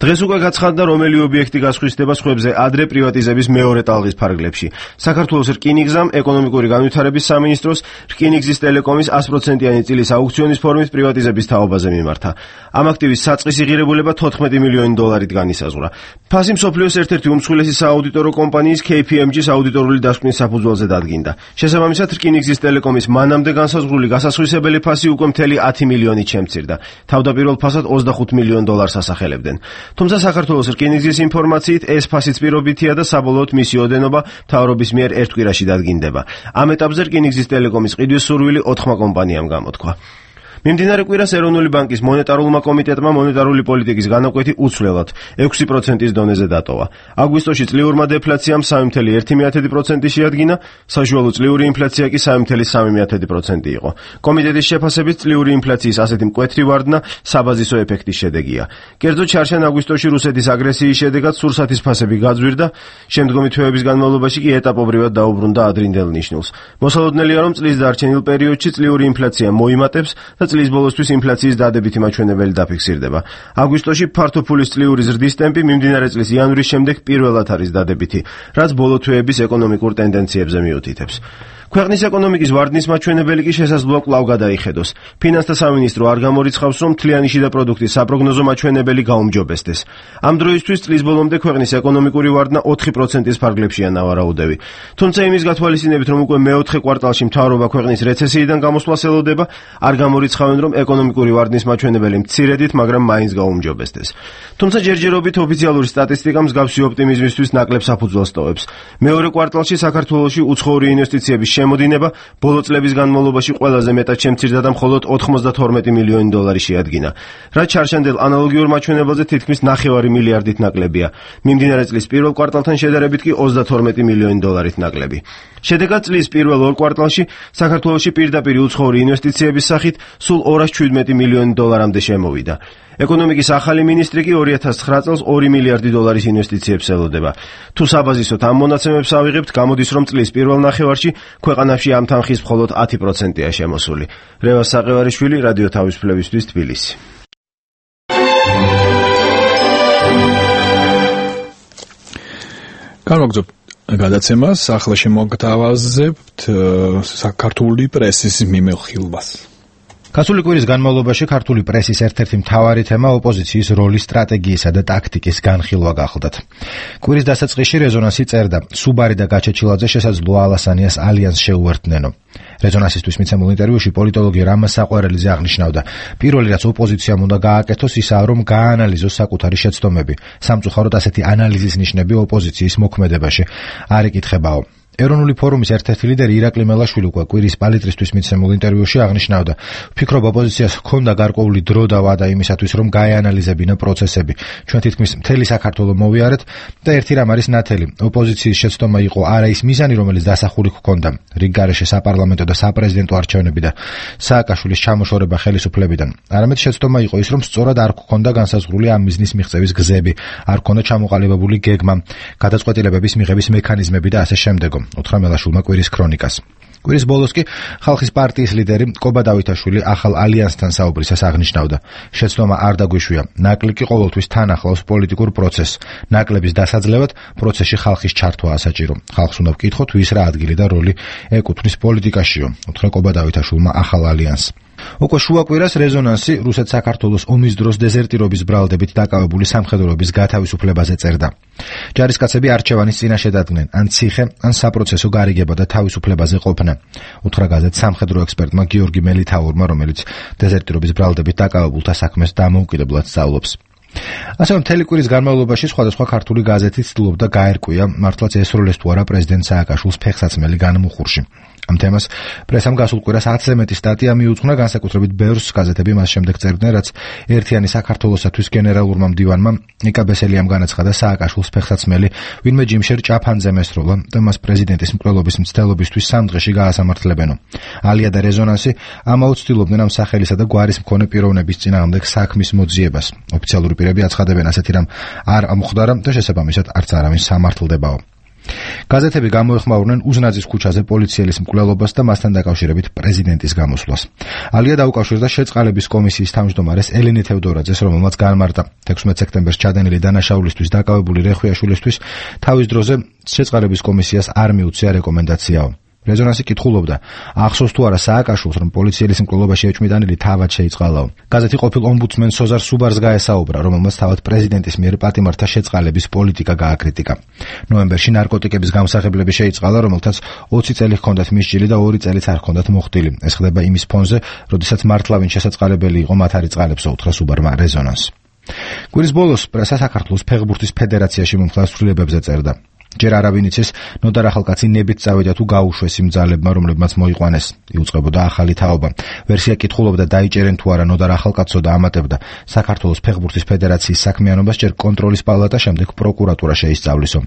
დღეს უკვე გაცხადდა, რომელი ობიექტი გასხვისდება სხვებზე ადრე პრივატიზების მეორე ტალღის ფარგლებში. საქართველოს რკინიგზამ, ეკონომიკური განვითარების სამინისტროს, რკინიგზის ტელეკომის sto პროცენტიანი წილის აუქციონის ფორმით პრივატიზების თაობაზე მიმართა. ამ აქტივის საწყისი ღირებულება თოთხმეტი მილიონი დოლარით განისაზღვრა. ფასი მსოფლიოს ერთ-ერთი უმსხვილესი სააუდიტორო კომპანიის ქეი პი ემ ჯის აუდიტორული დასკვნის საფუძველზე დადგინდა. შესაბამისად, რკინიგზის ტელეკომის მანამდე განსაზღვრული გასასხვისებელი ფასი უკვე მთელი ათი მილიონით შემცირდა. თავდაპირველ ფასად ოცდახუთ მილიონ დოლარს ასახელებდნენ. თუმცა საქართველოს რკინიგზის ინფორმაციით ეს ფასიც პირობითია და საბოლოოდ მისი ოდენობა მთავრობის მიერ ერთ კვირაში დადგინდება. ამ ეტაპზე რკინიგზის ტელეკომის ყიდვის სურვილი ოთხმა კომპანიამ გამოთქვა. მიმდინარე კვირას ეროვნული ბანკის მონეტარულმა კომიტეტმა მონეტარული პოლიტიკის განაკვეთი უცვლელად ექვსი პროცენტის დონეზე დატოვა. აგვისტოში წლიურმა დეფლაციამ სამი ფაصლე ერთი პროცენტი შეადგინა, საშუალო წლიური ინფლაცია კი სამი ფაصლე სამი პროცენტი იყო. კომიტეტის შეფასებით წლიური ინფლაციის ასეთი მკვეთრი ვარდნა საბაზისო ეფექტის შედეგია. კერძოდ ჩარშან აგვისტოში რუსეთის აგრესიის შედეგად სურსათის ფასები გაძვირდა, შემდგომი თვეების განმავლობაში კი ეტაპობრივად დაუბრუნდა ადრინდელ ნიშნულს. მოსალოდნელია, რომ წლის დარჩენილ პერიოდში წლიური ინფლაცია მოიმატებს და წლის ბოლოსთვის ინფლაციის დადებითი მაჩვენებელი დაფიქსირდება. აგვისტოში ფართო ფულის წლიური ზრდის ტემპი მიმდინარე წლის იანვრის შემდეგ პირველად არის დადებითი, რაც ბოლო თვეების ეკონომიკურ ტენდენციებზე მიუთითებს. ქვეყნის ეკონომიკის ვარდნის მაჩვენებელი კი შესაძლოა კვლავ გადაიხედოს. ფინანსთა სამინისტრო არ გამორიცხავს, რომ მთლიანი შიდა პროდუქტის საპროგნოზო მაჩვენებელი გაუმჯობესდეს. ამ დროისთვის წლის ბოლომდე ქვეყნის ეკონომიკური ვარდნა ოთხი პროცენტის ფარგლებშია ნავარაუდები. თუმცა იმის გათვალისწინებით, რომ უკვე მეოთხე კვარტალში მთავრობა ქვეყნის რეცესიიდან გამოსვლას ელოდება, არ გამორიცხავენ, რომ ეკონომიკური ვარდნის მაჩვენებელი მცირედით, მაგრამ მაინც გაუმჯობესდეს. თუმცა ჯერჯერობით ოფიციალური სტატისტიკა მსგავსი ოპტიმიზმისთვის ნაკლებ საფუძველს ტოვებს. მეორე კვარტალში საქართველოში უცხოური ინვესტიციების შემოდინება ბოლო წლების განმავლობაში ყველაზე მეტად შემცირდა და მხოლოდ ოთხმოცდათორმეტი მილიონი დოლარი შეადგინა, რაც ჩარშანდელ ანალოგიურ მაჩვენებელზე თითქმის ნახევარი მილიარდით ნაკლებია. მიმდინარე წლის პირველ კვარტალთან შედარებით კი ოცდათორმეტი მილიონი დოლარით ნაკლები. შედეგად წლის პირველ ორ კვარტალში საქართველოში პირდაპირ უცხოური ინვესტიციების სახით სულ ორას ჩვიდმეტი მილიონი დოლარამდე შემოვიდა. ეკონომიკის ახალი მინისტრი კი ორი ათას ცხრა წელს ორი მილიარდი დოლარის ინვესტიციებს ელოდება. თუ საბაზისოდ ამ მონაცემებს ავიღებთ, გამოდის, რომ წლის პირველ ნახევარში ქვეყანაში ამ თანხის მხოლოდ ათი პროცენტია შემოსული. რევას საყევარიშვილი, რადიო თავისუფლებისთვის, თბილისი. განვაგრძობთ გადაცემას, ახლა შემოგთავაზებთ საქართველოს პრესის მიმოხილვას. გასული კვირის განმავლობაში ქართული პრესის ერთ-ერთი მთავარი თემა ოპოზიციის როლის, სტრატეგიისა და ტაქტიკის განხილვა გახლდათ. კვირის დასაწყისში რეზონანსი წერდა, სუბარი და გაჩეჩილაძე შესაძლოა ალასანიას ალიანსს შეუერთდნენო. რეზონანსისთვის მიცემულ ინტერვიუში პოლიტოლოგი რამაზ საყვარელიძე აღნიშნავდა, პირველი რაც ოპოზიციამ უნდა გააკეთოს ისაა, რომ გააანალიზოს საკუთარი შეცდომები. სამწუხაროდ ასეთი ანალიზის ნიშნები ოპოზიციის მოქმედებაში არ იკითხებაო. ეროვნული ფორუმის ერთ-ერთი ლიდერი ირაკლი მელაშვილი უკვე კვირის პალიტრისთვის მიცემულ ინტერვიუში აღნიშნავდა, ვფიქრობ ოპოზიციას ჰქონდა გარკვეული დრო და ვადა იმისათვის, რომ გაეანალიზებინა პროცესები. ჩვენ თითქმის მთელი საქართველო მოვიარეთ და ერთი რამ არის ნათელი. ოპოზიციის შეცდომა იყო არა ის მიზანი, რომელიც დასახული ჰქონდა რიგ გარეშე საპარლამენტო და საპრეზიდენტო არჩევნები და სააკაშვილის ჩამოშორება ხელისუფლებიდან. არამედ შეცდომა იყო ის, რომ სწორად არ ჰქონდა განსაზღვრული ამ მიზნის მიღწევის გზები, არ ჰქონდა ჩამოყალიბებული გეგმა, გადაწყვეტილებების მიღების მექანიზმები და ასე შემდეგო. უთხრა მელაშვილმა კვირის ქრონიკას. კვირის ბოლოს კი ხალხის პარტიის ლიდერი კობა დავითაშვილი ახალ ალიანსთან საუბრისას აღნიშნავდა, შეცდომა არ დაგვიშვია, ნაკლი კი ყოველთვის თან ახლავს პოლიტიკურ პროცესს. ნაკლების დასაძლევად პროცესში ხალხის ჩართვა ასაჭირო. ხალხს უნდა ვკითხოთ, ვის რა ადგილი და როლი ეკუთვნის პოლიტიკაშიო, უთხრა კობა დავითაშვილმა ახალ ალიანსს. უკვე შუა კვირას რეზონანსი რუსეთ-საქართველოს ომის დროს დეზერტირობის ბრალდებით დაკავებული სამხედროების გათავისუფლებაზე წერდა. ჯარისკაცები არჩევანის წინაშე დადგნენ, ან ციხე, ან საპროცესო გარიგება და თავისუფლებაზე ყოფნა. უთხრა გაზეთ სამხედრო ექსპერტმა გიორგი მელითაურმა, რომელიც დეზერტირობის ბრალდებით დაკავებულთა საქმეს დამოუკიდებლად სწავლობს. ასევე მთელი კვირის განმავლობაში სხვადასხვა ქართული გაზეთი ცდილობდა გაერკვია, მართლაც ესროლეს თუ არა პრეზიდენტ სააკაშვილს ფეხსაცმელი განმუხურში. ამ თემას პრესამ გასულ კვირას ათზე მეტი სტატია მიუძღვნა, განსაკუთრებით ბევრს გაზეთები მას შემდეგ წერდნენ, რაც ერთიანი საქართველოსათვის გენერალურმა მდივანმა ნიკა ბესელიამ განაცხადა სააკაშვილს ფეხსაცმელი ვინმე ჯიმშერ ჭაფანძემ ესროლა და მას პრეზიდენტის მკვლელობის მცდელობისთვის სამ დღეში გაასამართლებენო. ალია და რეზონანსი ამაოდ ცდილობდნენ ამ სახელისა და გვარის მქონე პიროვნების წინააღმდეგ საქმის მოძიებას. ოფიციალური პირები აცხადებენ, ასეთი რამ არ ამხდარა და შესაბამისად არც არავინ სამართლდებაო. გაზეთები გამოეხმაურნენ უზნაძის ქუჩაზე პოლიციელის მკვლელობას და მასთან დაკავშირებით პრეზიდენტის გამოსვლას. ალია დაუკავშირდა შეწყალების კომისიის თავმჯდომარეს ელენე თევდორაძეს, რომელმაც განმარტა თექვსმეტ სექტემბერს ჩადენილი დანაშაულისთვის დაკავებული რეხვიაშვილისთვის თავის დროზე შეწყალების კომისიას არ მიუწია რეკომენდაციაო. რეზონანსი კითხულობდა, ახსოვს თუ არა სააკაშვილს, რომ პოლიციელის მკვლელობაში ეჭვმიტანილი თავად შეიწყალაო. გაზეთი ყოფილ ომბუდსმენ სოზარ სუბარს გაესაუბრა, რომელმაც თავად პრეზიდენტის მიერ პატიმართა შეწყალების პოლიტიკა გააკრიტიკა. ნოემბერში ნარკოტიკების გამსახებლები შეიწყალა, რომელთაც ოცი წელი ჰქონდათ მისჯილი და ორი წელიც არ ჰქონდათ მოხდილი. ეს ხდება იმის ფონზე, როდესაც მართლავინ შესაწყალებელი იყო მათ არ იწყალებსო, უთხრა სუბარმა რეზონანს. კვირის ბოლოს პრესა საქართველოს ფეხბურთის ფედერაციაში მომხდარ ცვლილებებზე წერდა. ჯერ არავინ იცის, ნოდარ ახალკაცი ნებით წავიდა თუ გაუშვეს იმ ძალებმა, რომლებმაც მოიყვანეს. იუწყებოდა ახალი თაობა. ვერსია კითხულობდა, დაიჭერენ თუ არა ნოდარ ახალკაცო და ამატებდა, საქართველოს ფეხბურთის ფედერაციის საქმიანობას ჯერ კონტროლის პალატა, შემდეგ პროკურატურა შეისწავლისო.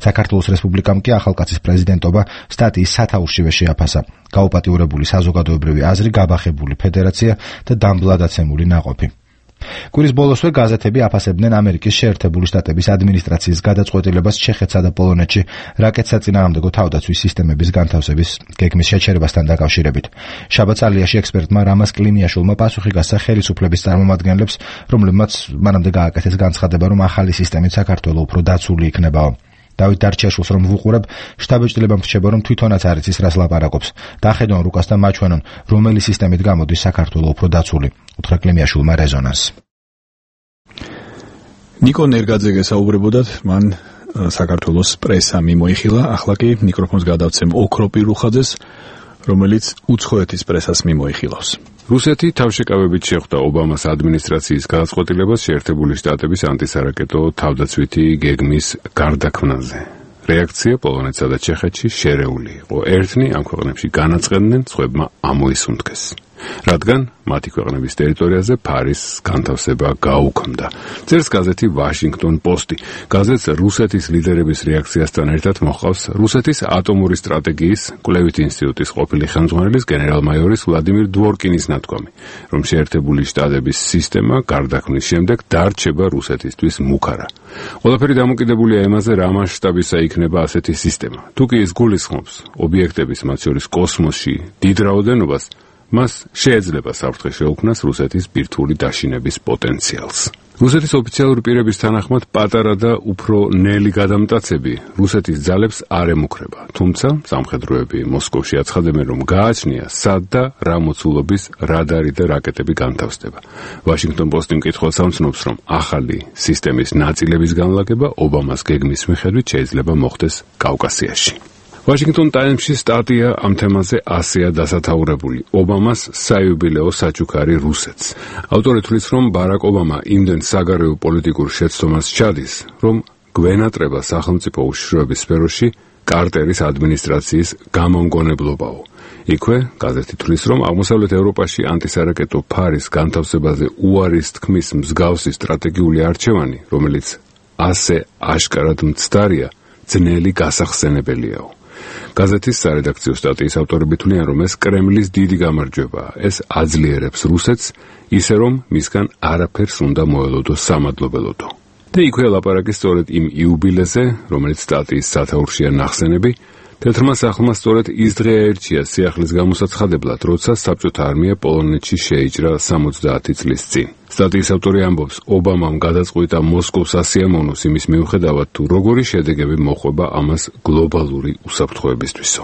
საქართველოს რესპუბლიკამ კი ახალკაცის პრეზიდენტობა სტატიის სათაურშივე შეაფასა. გაუპატიურებული საზოგადოებრივი აზრი, გაბახებული ფედერაცია და დამბლადაცემული ნაყოფი. კვირის ბოლოსვე გაზეთები აფასებდნენ ამერიკის შეერთებული შტატების ადმინისტრაციის გადაწყვეტილებას ჩეხეთსა და პოლონეთში რაკეტ საწინააღმდეგო თავდაცვის სისტემების განთავსების გეგმის შეჩერებასთან დაკავშირებით. შაბათს ალიაში ექსპერტმა რამას კლიმიაშვილმა პასუხი გასცა ხელისუფლების წარმომადგენლებს, რომლებმაც მანამდე გააკეთეს განცხადება, რომ ახალი სისტემით საქართველო უფრო დაცული იქნებაო. დავით დარჩიაშვილს რომ ვუყურებ, შტაბ-ჭრილებამ რჩება, რომ თვითონაც არ იცის რას ლაპარაკობს. დახედონ რუკას და მაჩვენონ, რომელი სისტემით გამოდის საქართველო უფრო დაცული. უთხრა კლიმიაშვილმა რეზონანს. ნიკო ნერგაძე გესაუბრებოდათ, მან საქართველოს პრესა მიმოიხილა, ახლა კი მიკროფონს გადავცემ ოქროპირ რუხაძეს, რომელიც უცხოეთის პრესას მიმოიხილავს. რუსეთი თავშეკავებით შეხვდა ობამას ადმინისტრაციის გადაწყვეტილებას შეერთებული შტატების ანტისარაკეტო თავდაცვითი გეგმის გარდაქმნაზე. რეაქცია პოლონეთსა და ჩეხეთში შერეული იყო. ერთნი ამ ქვეყნებში განაწყენდნენ, სხვებმა ამოისუნთქეს. რადგან მათი ქვეყნების ტერიტორიაზე ფარის განთავსება გაუქმდა. წერს გაზეთი ვაშინგტონ პოსტი. გაზეთს რუსეთის ლიდერების რეაქციასთან ერთად მოჰყავს რუსეთის ატომური სტრატეგიის კვლევით ინსტიტუტის ყოფილი ხელმძღვანელის გენერალ-მაიორის ვლადიმირ დვორკინის ნათქვამი, რომ შეერთებული შტატების სისტემა გარდაქმნის შემდეგ დარჩება რუსეთისთვის მუქარა. ყველაფერი დამოკიდებულია იმაზე, რა მასშტაბისა იქნება ასეთი სისტემა. თუ კი ის გულისხმობს ობიექტების, მათ შორის კოსმოსში, დიდ რაოდენობას, მას შეიძლება საფრთხე შეუქმნას რუსეთის ბირთვული დაშინების პოტენციალს. რუსეთის ოფიციალური პირების თანახმად პატარა და უფრო ნელი გადამტაცები რუსეთის ძალებს არ ემუქრება, თუმცა სამხედროები მოსკოვში აცხადებენ, რომ გააჩნია სად და რა მოცულობის რადარი და რაკეტები განთავსდება. ვაშინგტონ პოსტი მკითხველს ამცნობს, რომ ახალი სისტემის ნაწილების განლაგება ობამას გეგმის მიხედვით შეიძლება მოხდეს კავკასიაში. Washington Times-ში სტატია ამ თემაზე ასეა დასათაურებული. ობამას საიუბილეო საჩუქარი რუსეთს. ავტორი თვლის, რომ ბარაკ ობამა იმდენ საგარეო პოლიტიკურ შეცდომას ჩადის, რომ გვენატრება სახელმწიფო უშიშროების სფეროში კარტერის ადმინისტრაციის გამომგონებლობაო. იქვე გაზეთი თვლის, რომ აღმოსავლეთ ევროპაში ანტისარაკეტო ფარის განთავსებაზე უარის თქმის მსგავსი სტრატეგიული არჩევანი, რომელიც ასე აშკარად მცდარია, ძნელი გასახსენებელიაო. გაზეთის სარედაქციო სტატიის ავტორები თვლიან, რომ ეს კრემლის დიდი გამარჯვებაა. ეს აძლიერებს რუსეთს, ისე რომ მისგან არაფერს უნდა მოელოდოს სამადლობელოდო. და იქვე ლაპარაკი სწორედ იმ იუბილეზე, რომელიც სტატიის სათაურშია ნახსენები, თეთრმა სახლმა სწორედ ის დღე აერჩია სიახლის გამოსაცხადებლად, როცა საბჭოთა არმია პოლონეთში შეიჭრა სამოცდაათი წლის წინ. სტატიის ავტორი ამბობს, ობამამ გადაწყვიტა მოსკოვს ასიამოვნოს იმის მიუხედავად, თუ როგორი შედეგები მოხვება ამას გლობალური უსაფრთხოებისთვისო.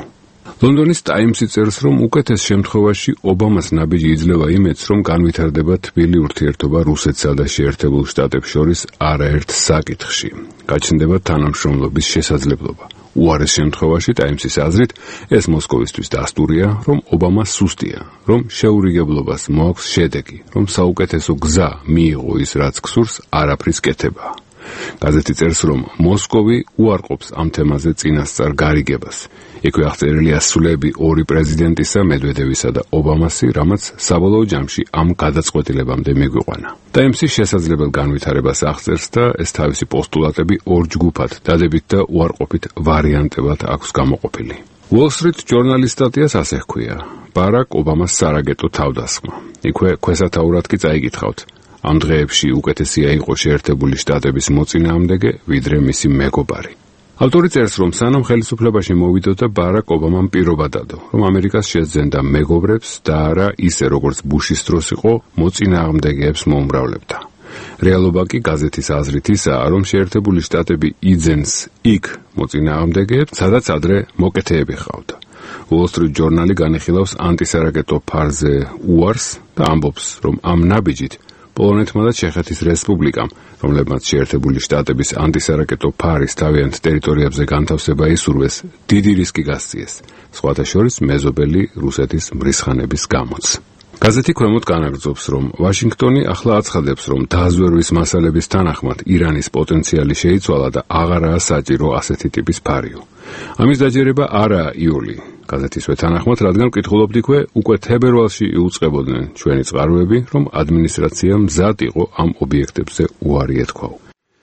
ლონდონის ტაიმსი წერს, რომ უკეთეს შემთხვევაში ობამას ნაბიჯი იძლევა იმედს, რომ განვითარდება თბილი ურთიერთობა რუსეთსა და შეერთებულ შტატებს შორის არაერთ საკითხში. გაჩნდება თანამშრომლობის შესაძლებლობა. უარეს შემთხვევაში ტაიმსის აზრით ეს მოსკოვისთვის დასტურია, რომ ობამა სუსტია, რომ შეურიგებლობას მოაქვს შედეგი, რომ საუკეთესო გზა მიიღო ის რაც გსურს, არაფრის კეთება. გაზეთი წერს, რომ მოსკოვი უარყოფს ამ თემაზე წინასწარ გარიგებას. იქვე აღწერილია სულები ორი პრეზიდენტისა, მედვედევისა და ობამასი, რამაც საბოლოო ჯამში ამ გადაწყვეტილებამდე მიგვიყვანა. ტაიმსის შესაძლებელ განვითარებას აღწერს და ეს თავისი პოსტულატები ორ ჯგუფად, დადებით და უარყოფით ვარიანტებად აქვს გამოყოფილი. Wall Street Journal-ის სტატიას ასე ჰქვია: ბარაკ ობამას სარაგეტო თავდასხმა. იქვე ქვესათაურად კი წაიკითხავთ: ამ დღეებში უკეთესია იყო შეერთებული შტატების მოწინააღმდეგე, ვიდრე მისი მეგობარი. ავტორი წერს, რომ სანამ ხელისუფლებაში მოვიდოდა, ბარაკ ობამამ პირობა დადო, რომ ამერიკას შეძენდა მეგობრებს და არა ისე, როგორც ბუშის დროს იყო, მოწინააღმდეგეებს მოუმრავლებდა. რეალობა კი გაზეთის აზრით ისაა, რომ შეერთებული შტატები იძენს იქ მოწინააღმდეგეებს, სადაც ადრე მოკეთეები ჰყავდა. Wall Street Journal-ი განიხილავს ანტისარაკეტო ფარზე უარს და ამბობს, რომ ამ ნაბიჯით პოლონეთმა და ჩეხეთის რესპუბლიკამ, რომლებმაც შეერთებული შტატების ანტისარაკეტო ფარის თავიანთ ტერიტორიებზე განთავსება ისურვეს, დიდი რისკი გასწიეს, სხვათა შორის მეზობელი რუსეთის მრისხანების გამოც. გაზეთი ქვემოთ განაგრძობს, რომ ვაშინგტონი ახლა აცხადებს, რომ დაზვერვის მასალების თანახმად ირანის პოტენციალი შეიცვალა და აღარაა საჭირო ასეთი ტიპის ფარიო. ამის დაჯერება არაა იოლი. გაზეთისვე თანახმად, რადგან ვკითხულობდიქვე, უკვე თებერვალში იუწყებოდნენ ჩვენი წყაროები, რომ ადმინისტრაცია მზად იყო ამ ობიექტებზე უარი ეთქვაო.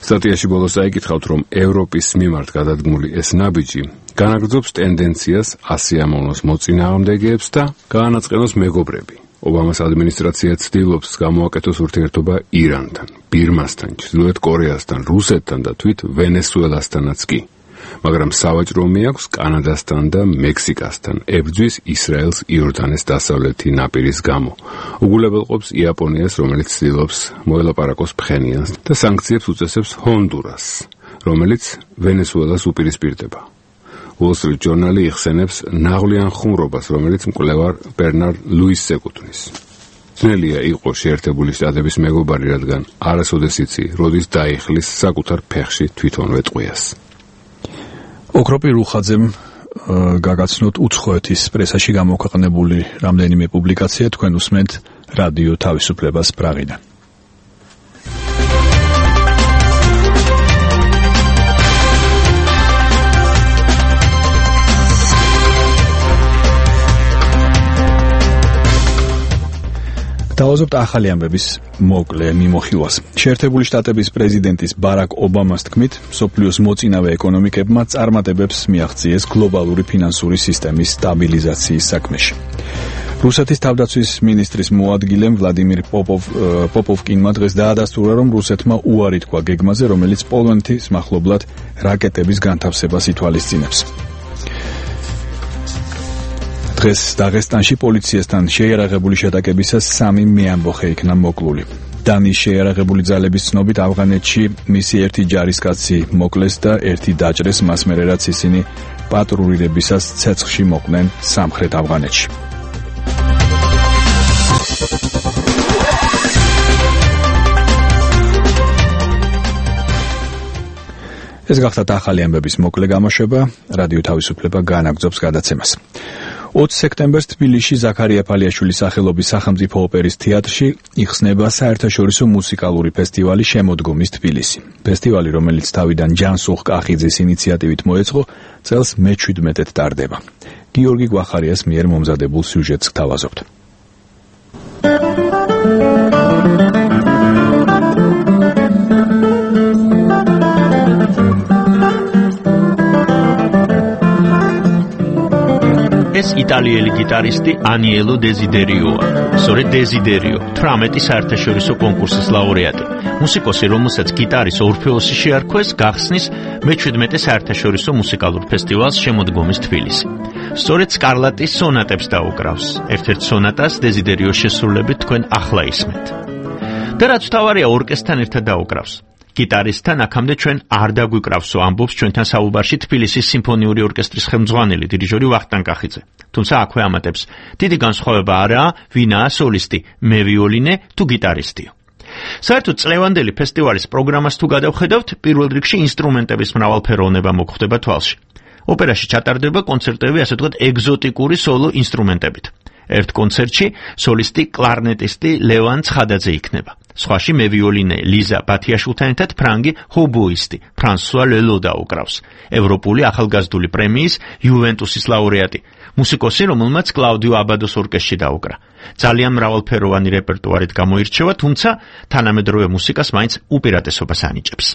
სტატიაში ბოლოს აიკითხავთ, რომ ევროპის მიმართ გადადგმული ეს ნაბიჯი განაგრძობს ტენდენციას ასიამოვნოს მოწინააღმდეგეებს და გაანაწყენოს მეგობრები. ობამას ადმინისტრაცია ცდილობს გამოაკეთოს ურთიერთობა ირანთან, ბირმასთან, ჩრდილოეთ კორეასთან, რუსეთთან და თვით ვენესუელასთანაც კი. მაგრამ სავაჭრო მიაქვს კანადასთან და მექსიკასთან, ებრძვის ისრაელს იორდანეს დასავლეთი ნაპირის გამო. უგულებელყოფს იაპონიას, რომელიც ცდილობს მოელაპარაკოს ფხენიანს და სანქციებს უწესებს ჰონდურასს, რომელიც ვენესუელას უპირისპირდება. Wall Street Journal-ი იხსენებს ნაღვლიან ხუმრობას, რომელიც მკვლევარ ბერნარ ლუისს ეკუთვნის. ძნელია იყო შეერთებული შტატების მეგობარი, რადგან არასოდეს იცი, როდის დაიხლის საკუთარ ფეხში თვითონვე ტყვიას. ოქროპი რუხაძემ გაგაცნოთ უცხოეთის პრესაში გამოქვეყნებული რამდენიმე პუბლიკაცია, თქვენ უსმენთ რადიო თავისუფლებას პრაღიდან. დავაზობთ ახალი ამბების მოკლე მიმოხილვას. შეერთებული შტატების პრეზიდენტის ბარაკ ობამას თქმით, მსოფლიოს მოწინავე ეკონომიკებმა წარმატებებს მიაღწიეს გლობალური ფინანსური სისტემის სტაბილიზაციის საქმეში. რუსეთის თავდაცვის მინისტრის მოადგილემ ვლადიმირ პოპოვ პოპოვკინმა დღეს დაადასტურა, რომ რუსეთმა უარი თქვა გეგმაზე, რომელიც პოლონეთის მახლობლად რაკეტების განთავსებას ითვალისწინებს. დღეს დაღესტანში პოლიციასთან შეიარაღებული შეტაკებისას სამი მეამბოხე იქნა მოკლული. დანის შეიარაღებული ძალების ცნობით ავღანეთში მისი ერთი ჯარისკაცი მოკლეს და ერთი დაჭრეს, მას მერე რაც ისინი პატრულირებისას ცეცხლში მოყვნენ სამხრეთ ავღანეთში. ეს გახდა ახალი ამბების მოკლე გამოშვება. რადიო თავისუფლება განაგრძობს გადაცემას. ოცი სექტემბერს თბილისში ზაქარია ფალიაშვილის სახელობის სახელმწიფო ოპერის თეატრში იხსნება საერთაშორისო მუსიკალური ფესტივალი შემოდგომის თბილისი. ფესტივალი, რომელიც თავიდან ჯანსუღ კახიძის ინიციატივით მოეწყო, წელს მეჩვიდმეტედ ტარდება. გიორგი გვახარიას მიერ მომზადებულ სიუჟეტს გთავაზობთ. ეს იტალიელი გიტარისტი ანიელო დეზიდერიოა. სწორედ დეზიდერიო, თვრამეტი საერთაშორისო კონკურსის ლაურეატი. მუსიკოსი, რომელსაც გიტარის ორფეოსი შეარქვეს, გახსნის მეჩვიდმეტე საერთაშორისო მუსიკალურ ფესტივალს შემოდგომის თბილისი. სწორედ სკარლატის სონატებს დაუკრავს. ერთ-ერთ სონატას დეზიდერიოს შესრულებით თქვენ ახლა ისმენთ. და რაც თავარია, ორკესტრთან ერთად დაუკრავს. გიტარისტთან აქამდე ჩვენ არ დაგვიკრავსო, ამბობს ჩვენთან საუბარში თბილისის სიმფონიური ორკესტრის ხელმძღვანელი დირიჟორი ვახტანგ კახიძე. თუმცა აქვე ამატებს, დიდი განსხვავება არაა, ვინაა სოლისტი, მე ვიოლინე თუ გიტარისტიო. საერთოდ წლევანდელი ფესტივალის პროგრამას თუ გადავხედავთ, პირველ რიგში ინსტრუმენტების მრავალფეროვნება მოხვდება თვალში. ოპერაში ჩატარდება კონცერტები, ასე ვთქვათ, ეგზოტიკური სოლო ინსტრუმენტებით. ერთ კონცერტში სოლისტი კლარნეტისტი ლევან ცხადაძე იქნება. სხვაში მე ვიოლინე ლიზა ბათიაშვილთან ერთად ფრანგი ჰობოისტი ფრანსუა ლელო დაუკრავს. ევროპული ახალგაზრდული პრემიის იუვენტუსის ლაურეატი, მუსიკოსი, რომელმაც კლაუდიო აბადოს ორკესტრში დაუკრა. ძალიან მრავალფეროვანი რეპერტუარით გამოირჩევა, თუმცა თანამედროვე მუსიკას მაინც უპირატესობას ანიჭებს.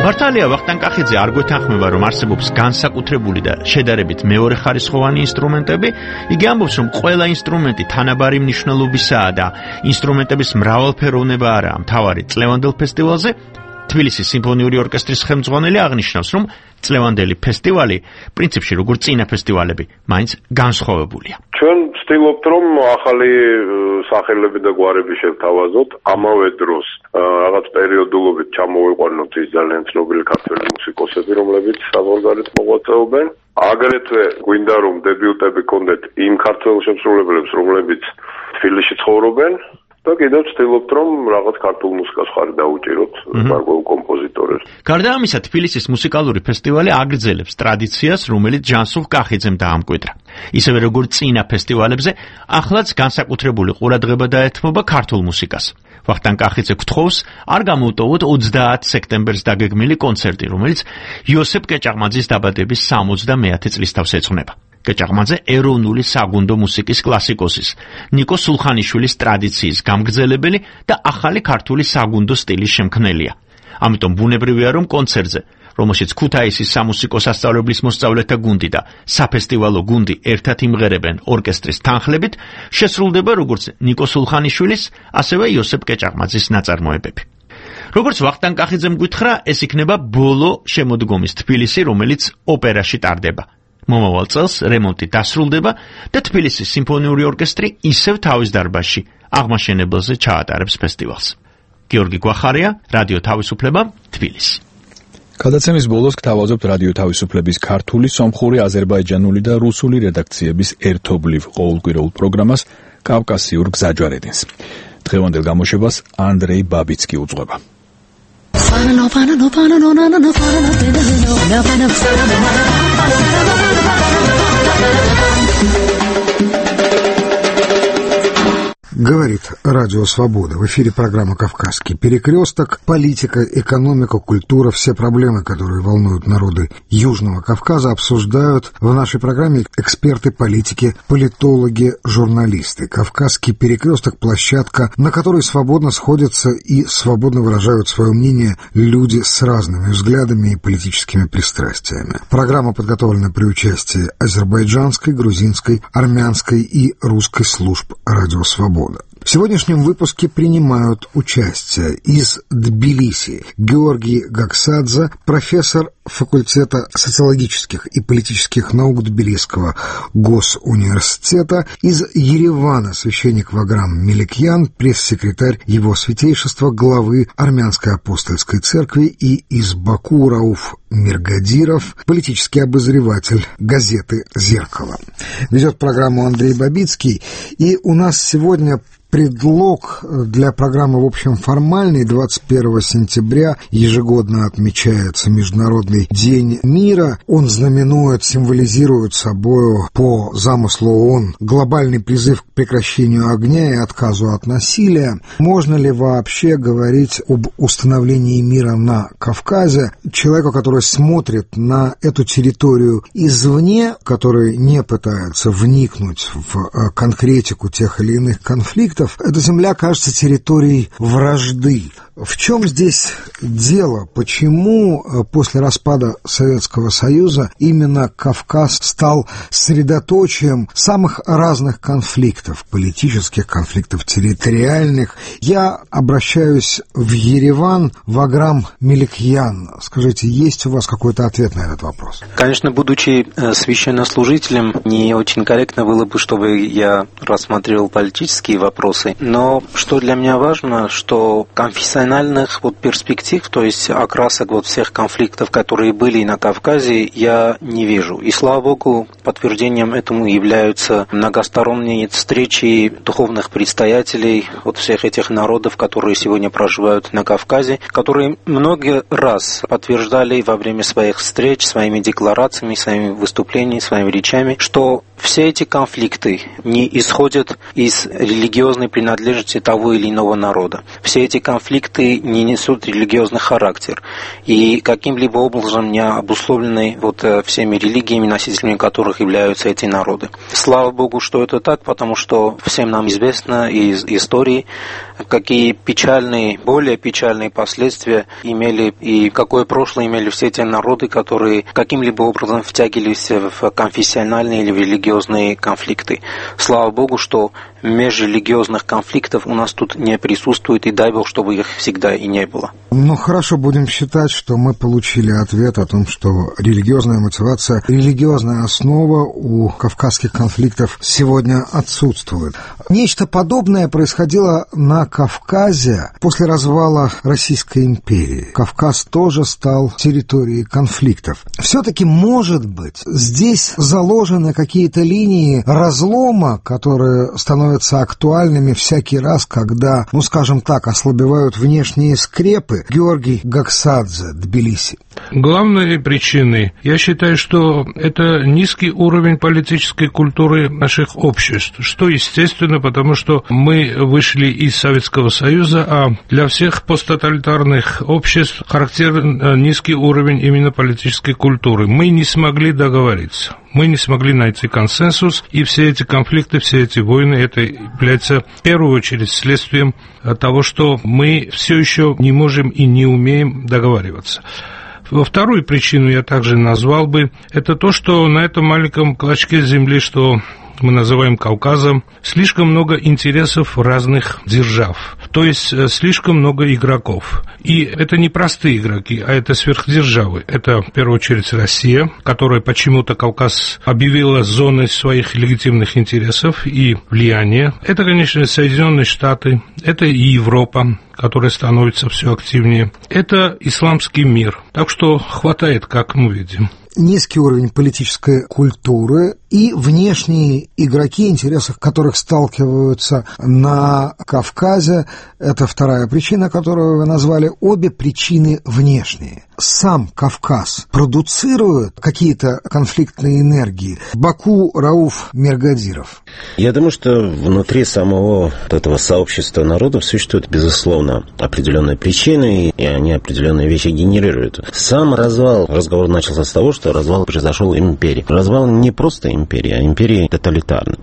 მართალია ვახტანგ კახიძე არ გვეთანხმება, რომ არსებობს განსაკუთრებული და შედარებით მეორეხარისხოვანი ინსტრუმენტები. იგი ამბობს, რომ ყველა ინსტრუმენტი თანაბარი მნიშვნელობისაა და ინსტრუმენტების მრავალფეროვნება არაა მთავარი წლევანდელ ფესტივალზე. თბილისის სიმფონიური ორკესტრის ხელმძღვანელი აღნიშნავს, რომ წლევანდელი ფესტივალი პრინციპში როგორც წინა ფესტივალები მაინც განსხვავებულია. ჩვენ ვცდილობთ, რომ ახალი სახელები და გვარები შევთავაზოთ, ამავე დროს რაღაც პერიოდულობით ჩამოვიყვანოთ ის ძალიან ცნობილი ქართველი მუსიკოსები, რომლებიც საზღვარგარეთ მოღვაწეობენ. აგრეთვე გვინდა, რომ დებიუტები გქონდეთ იმ ქართველ შემსრულებლებს, რომლებიც თბილისში ცხოვრობენ. და კიდევ ვცდილობთ, რომ რაღაც ქართულ მუსიკას ხარი დაუჭიროთ გარკვეულ კომპოზიტორებს. გარდა ამისა, თბილისის მუსიკალური ფესტივალი აგრძელებს ტრადიციას, რომელიც ჯანსუღ კახიძემ დაამკვიდრა. ისევე როგორც წინა ფესტივალებზე, ახლაც განსაკუთრებული ყურადღება დაეთმობა ქართულ მუსიკას. ვახტანგ კახიძე გთხოვს, არ გამოუტოვოთ ოცდაათი სექტემბერს დაგეგმილი კონცერტი, რომელიც იოსებ კეჭაღმაძის დაბადების სამოცდამეათე წლისთავს ეძღვნება. კეჭაღმაძე ეროვნული საგუნდო მუსიკის კლასიკოსის, ნიკო სულხანიშვილის ტრადიციის გამგრძელებელი და ახალი ქართული საგუნდო სტილის შემქმნელია. ამიტომ ბუნებრივია, რომ კონცერტზე, რომელშიც ქუთაისის სამუსიკო სასწავლებლის მოსწავლეთა გუნდი და საფესტივალო გუნდი ერთად იმღერებენ ორკესტრის თანხლებით, შესრულდება როგორც ნიკო სულხანიშვილის, ასევე იოსებ კეჭაღმაძის ნაწარმოებები. როგორც ვახტანგ კახიძემ გითხრა, ეს იქნება ბოლო შემოდგომის თბილისი, რომელიც ოპერაში ტარდება. მომავალ წელს რემონტი დასრულდება და თბილისის სიმფონიური ორკესტრი ისევ თავის დარბაზში აღმაშენებელზე ჩაატარებს ფესტივალს. გიორგი გვახარია, რადიო თავისუფლება, თბილისი. გადაცემის ბოლოს გთავაზობთ რადიო თავისუფლების ქართული, სომხური, აზერბაიჯანული და რუსული რედაქციების ერთობლივ ყოველკვირეულ პროგრამას კავკასიურ გზაჯვარედინს. დღევანდელ გამოშვებას ანდრეი ბაბიცკი უძღვება. Говорит Радио Свобода. В эфире программа «Кавказский перекресток». Политика, экономика, культура, все проблемы, которые волнуют народы Южного Кавказа, обсуждают в нашей программе эксперты политики, политологи, журналисты. «Кавказский перекресток» — площадка, на которой свободно сходятся и свободно выражают свое мнение люди с разными взглядами и политическими пристрастиями. Программа подготовлена при участии азербайджанской, грузинской, армянской и русской служб Радио Свобода. В сегодняшнем выпуске принимают участие из Тбилиси Георгий Гаксадзе, профессор факультета социологических и политических наук Тбилисского госуниверситета, из Еревана священник Ваграм Меликьян, пресс-секретарь его святейшества, главы Армянской апостольской церкви, и из Баку Рауф Миргадиров, политический обозреватель газеты «Зеркало». Ведет программу Андрей Бабицкий, и у нас сегодня предлог для программы, в общем, формальный. двадцать первого сентября ежегодно отмечается Международный день мира. Он знаменует, символизирует собой по замыслу ООН глобальный призыв к прекращению огня и отказу от насилия. Можно ли вообще говорить об установлении мира на Кавказе? Человеку, который смотрит на эту территорию извне, который не пытается вникнуть в конкретику тех или иных конфликтов, эта земля кажется территорией вражды. В чем здесь дело? Почему после распада Советского Союза именно Кавказ стал средоточием самых разных конфликтов, политических конфликтов, территориальных? Я обращаюсь в Ереван. Ваграм Меликьян, скажите, есть у вас какой-то ответ на этот вопрос? Конечно, будучи священнослужителем, не очень корректно было бы, чтобы я рассматривал политические вопросы. Но что для меня важно, что конфессиональных вот перспектив, то есть окрасок вот всех конфликтов, которые были на Кавказе, я не вижу. И слава Богу, подтверждением этому являются многосторонние встречи духовных предстоятелей вот всех этих народов, которые сегодня проживают на Кавказе, которые много раз подтверждали во время своих встреч, своими декларациями, своими выступлениями, своими речами, что все эти конфликты не исходят из религиозной принадлежности того или иного народа. Все эти конфликты не несут религиозный характер и каким-либо образом не обусловлены вот всеми религиями, носителями которых являются эти народы. Слава Богу, что это так, потому что всем нам известно из истории, какие печальные, более печальные последствия имели и какое прошлое имели все эти народы, которые каким-либо образом втягивались в конфессиональные или в религиозные конфликты. Слава Богу, что межрелигиозных конфликтов у нас тут не присутствует, и дай Бог, чтобы их всегда и не было. Ну, хорошо, будем считать, что мы получили ответ о том, что религиозная мотивация, религиозная основа у кавказских конфликтов сегодня отсутствует. Нечто подобное происходило на Кавказе после развала Российской империи. Кавказ тоже стал территорией конфликтов. Все-таки, может быть, здесь заложены какие-то линии разлома, которые становятся актуальными всякий раз, когда, ну, скажем так, ослабевают внешние скрепы. Георгий Гаксадзе, Тбилиси. Главной причиной, я считаю, что это низкий уровень политической культуры наших обществ, что естественно, потому что мы вышли из Советского Союза, а для всех посттоталитарных обществ характерен низкий уровень именно политической культуры. Мы не смогли договориться. Мы не смогли найти консенсус, и все эти конфликты, все эти войны, это является в первую очередь следствием того, что мы все еще не можем и не умеем договариваться. Во вторую причину я также назвал бы, это то, что на этом маленьком клочке земли, что мы называем Кавказом, слишком много интересов разных держав, то есть слишком много игроков. И это не простые игроки, а это сверхдержавы. Это, в первую очередь, Россия, которая почему-то Кавказ объявила зоной своих легитимных интересов и влияния. Это, конечно, Соединенные Штаты, это и Европа, которая становится все активнее. Это исламский мир. Так что хватает, как мы видим. Низкий уровень политической культуры и внешние игроки, интересах которых сталкиваются на Кавказе. Это вторая причина, которую вы назвали. Обе причины внешние. Сам Кавказ продуцирует какие-то конфликтные энергии. Баку Рауф Миргадиров. Я думаю, что внутри самого вот этого сообщества народов существуют, безусловно, определенные причины, и они определенные вещи генерируют. Сам развал, разговор начался с того, что развал произошел империи. Развал не просто империи, а империи тоталитарной.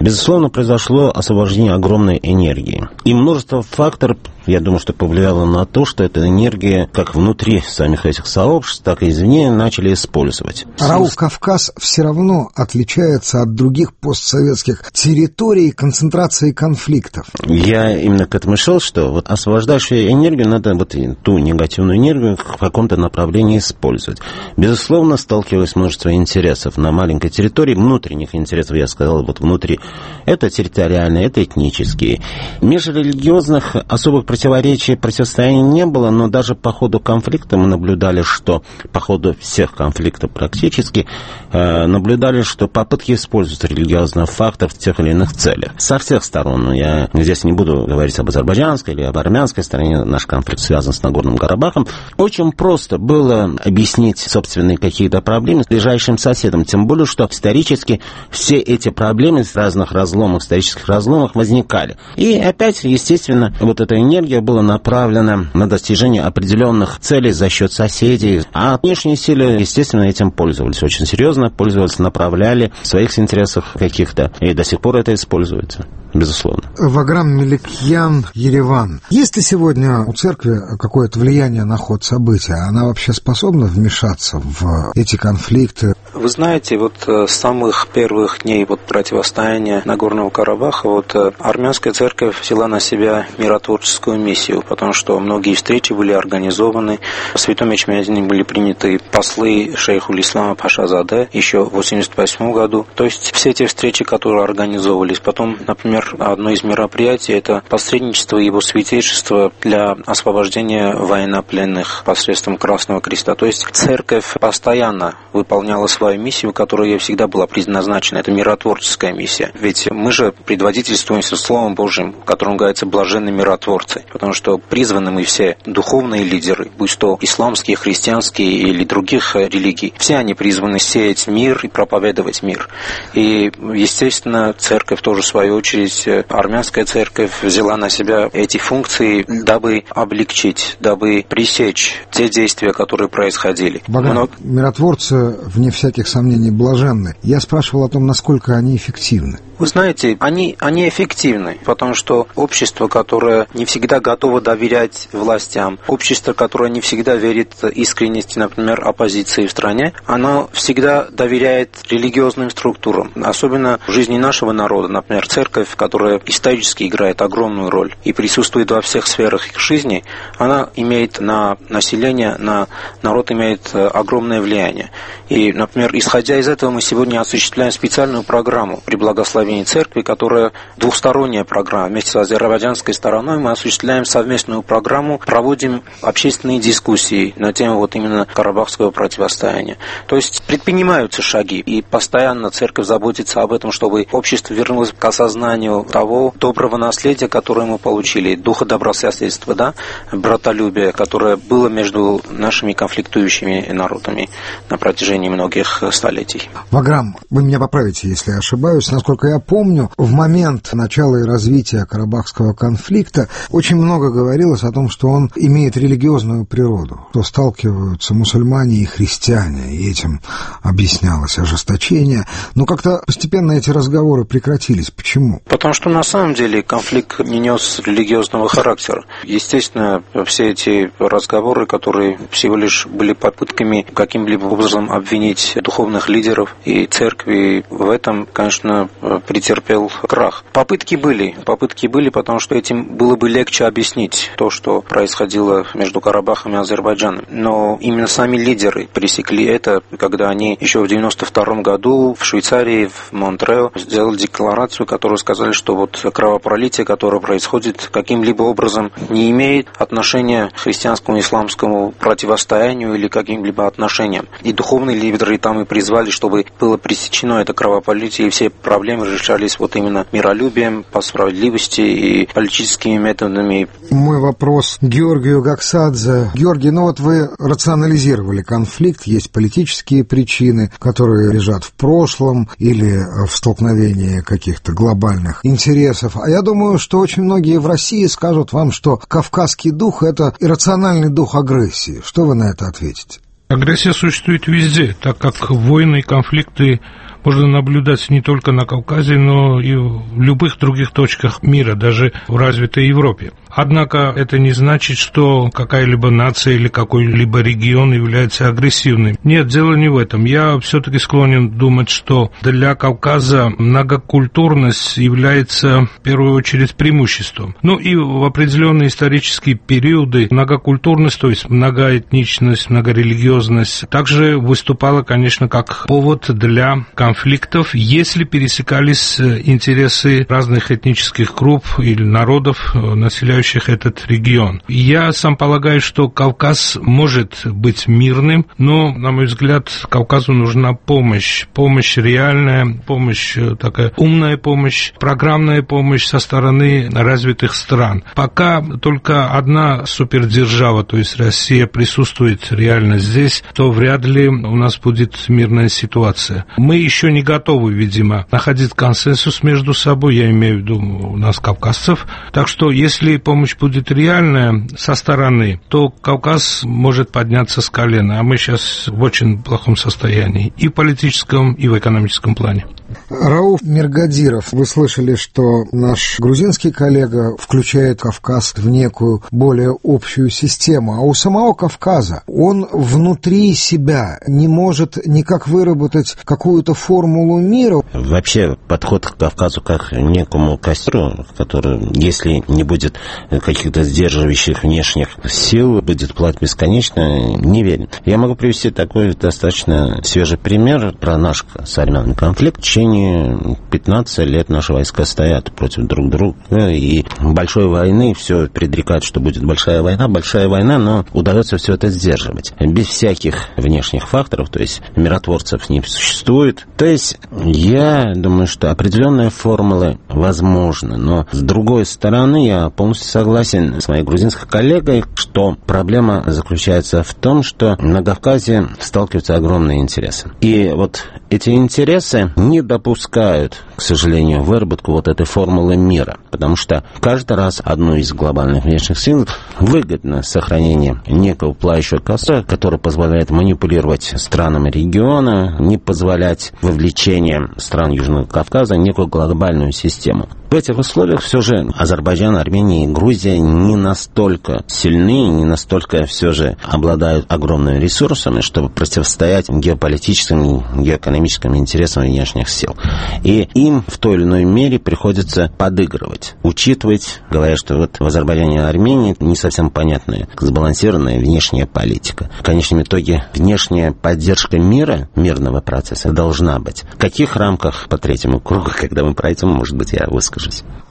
Безусловно, произошло освобождение огромной энергии. И множество факторов я думаю, что повлияло на то, что эта энергия как внутри самих этих сообществ, так и извне начали использовать. Рауф, Кавказ все равно отличается от других постсоветских территорий концентрации конфликтов. Я именно к этому шел, что вот освобождающую энергию надо вот ту негативную энергию в каком-то направлении использовать. Безусловно, сталкивалось множество интересов на маленькой территории, внутренних интересов, я сказал, вот внутри. Это территориальные, это этнические. Межрелигиозных особых противоречий, противостояний не было, но даже по ходу конфликта мы наблюдали, что по ходу всех конфликтов практически э, наблюдали, что попытки использовать религиозный фактор в тех или иных целях. Со всех сторон. Я здесь не буду говорить об азербайджанской или об армянской стороне. Наш конфликт связан с Нагорным Карабахом. Очень просто было объяснить собственные какие-то проблемы с ближайшим соседом. Тем более, что исторически все эти проблемы в разных разломах, исторических разломах возникали. И опять, естественно, вот эта энергия была направлена на достижение определенных целей за счет соседей. А внешние силы, естественно, этим пользовались очень серьезно, пользовались, направляли в своих интересах каких-то. И до сих пор это используется, безусловно. Ваграм Меликьян, Ереван. Есть ли сегодня у церкви какое-то влияние на ход событий? Она вообще способна вмешаться в эти конфликты? Вы знаете, вот с самых первых дней вот противостояния Нагорного Карабаха вот армянская церковь взяла на себя миротворческую миссию, потому что многие встречи были организованы. В Святом Ячмене были приняты послы шейху Ислама Пашазаде еще в восемьдесят восьмом году. То есть все эти встречи, которые организовывались. Потом, например, одно из мероприятий – это посредничество его святейшества для освобождения военнопленных посредством Красного Креста. То есть церковь постоянно выполняла свою миссию, которая ей всегда была предназначена. Это миротворческая миссия. Ведь мы же предводительствуемся Словом Божьим, в котором говорится «блаженные миротворцы», потому что призваны мы все духовные лидеры, будь то исламские, христианские или других религий, все они призваны сеять мир и проповедовать мир. И, естественно, церковь тоже, в свою очередь, армянская церковь взяла на себя эти функции, дабы облегчить, дабы пресечь те действия, которые происходили. Богдан, Но... миротворцы, вне всяких сомнений, блаженны. Я спрашивал о том, насколько они эффективны. Вы знаете, они, они эффективны, потому что общество, которое не всегда готово доверять властям, общество, которое не всегда верит искренности, например, оппозиции в стране, оно всегда доверяет религиозным структурам. Особенно в жизни нашего народа, например, церковь, которая исторически играет огромную роль и присутствует во всех сферах их жизни, она имеет на население, на народ имеет огромное влияние. И, например, исходя из этого, мы сегодня осуществляем специальную программу при благословении церкви, которая двухсторонняя программа. Вместе с азербайджанской стороной мы осуществляем совместную программу, проводим общественные дискуссии на тему вот именно карабахского противостояния. То есть предпринимаются шаги, и постоянно церковь заботится об этом, чтобы общество вернулось к осознанию того доброго наследия, которое мы получили, духа добрососедства, да, братолюбия, которое было между нашими конфликтующими народами на протяжении многих столетий. Ваграм, вы меня поправите, если я ошибаюсь. Насколько я помню, в момент начала и развития карабахского конфликта очень много говорилось о том, что он имеет религиозную природу, что сталкиваются мусульмане и христиане, и этим объяснялось ожесточение. Но как-то постепенно эти разговоры прекратились. Почему? Потому что на самом деле конфликт не нес религиозного характера. Естественно, все эти разговоры, которые всего лишь были попытками каким-либо образом обвинить духовных лидеров и церкви, в этом, конечно, претерпел крах. Попытки были, попытки были, потому что этим было бы легче объяснить то, что происходило между Карабахом и Азербайджаном. Но именно сами лидеры пресекли это, когда они еще в девяносто втором году в Швейцарии, в Монтрео, сделали декларацию, которую сказали, что вот кровопролитие, которое происходит, каким-либо образом не имеет отношения к христианскому и исламскому противостоянию или каким-либо отношениям. И духовные лидеры там и призвали, чтобы было пресечено это кровопролитие, и все проблемы решались вот именно миролюбием, по справедливости и политическими методами. Мой вопрос Георгию Гаксадзе. Георгий, ну вот вы рационализировали конфликт, есть политические причины, которые лежат в прошлом или в столкновении каких-то глобальных интересов. А я думаю, что очень многие в России скажут вам, что кавказский дух – это иррациональный дух агрессии. Что вы на это ответите? Агрессия существует везде, так как войны и конфликты можно наблюдать не только на Кавказе, но и в любых других точках мира, даже в развитой Европе. Однако это не значит, что какая-либо нация или какой-либо регион является агрессивным. Нет, дело не в этом. Я все-таки склонен думать, что для Кавказа многокультурность является в первую очередь преимуществом. Ну и в определенные исторические периоды многокультурность, то есть многоэтничность, многорелигиозность, также выступала, конечно, как повод для конфликтов, если пересекались интересы разных этнических групп или народов, населяющих этот регион. Я сам полагаю, что Кавказ может быть мирным, но, на мой взгляд, Кавказу нужна помощь. Помощь реальная, помощь такая умная помощь, программная помощь со стороны развитых стран. Пока только одна супердержава, то есть Россия, присутствует реально здесь, то вряд ли у нас будет мирная ситуация. Мы еще не готовы, видимо, находить консенсус между собой, я имею в виду у нас, кавказцев. Так что, если помощь будет реальная со стороны, то Кавказ может подняться с колена, а мы сейчас в очень плохом состоянии и в политическом, и в экономическом плане. Рауф Миргадиров, вы слышали, что наш грузинский коллега включает Кавказ в некую более общую систему, а у самого Кавказа он внутри себя не может никак выработать какую-то формулу мира. Вообще подход к Кавказу как к некому костру, который, если не будет каких-то сдерживающих внешних сил, будет плавать бесконечно, не верен. Я могу привести такой достаточно свежий пример про наш современный конфликт. В течение пятнадцати лет наши войска стоят против друг друга, и большой войны все предрекают, что будет большая война, большая война, но удается все это сдерживать. Без всяких внешних факторов, то есть миротворцев не существует. То есть я думаю, что определенные формулы возможны, но с другой стороны я полностью согласен с моей грузинской коллегой, что проблема заключается в том, что на Кавказе сталкиваются огромные интересы. И вот эти интересы не допускают, к сожалению, выработку вот этой формулы мира, потому что каждый раз одну из глобальных внешних сил выгодно сохранение некого пылающего костра, который позволяет манипулировать странами региона, не позволять вовлечение стран Южного Кавказа в некую глобальную систему. В этих условиях все же Азербайджан, Армения и Грузия не настолько сильны, не настолько все же обладают огромными ресурсами, чтобы противостоять геополитическим, геоэкономическим интересам внешних сил. И им в той или иной мере приходится подыгрывать, учитывать, говоря, что вот в Азербайджане и Армении не совсем понятная, сбалансированная внешняя политика. В конечном итоге внешняя поддержка мира, мирного процесса должна быть. В каких рамках по третьему кругу, когда мы пройдем, может быть, я выскажусь.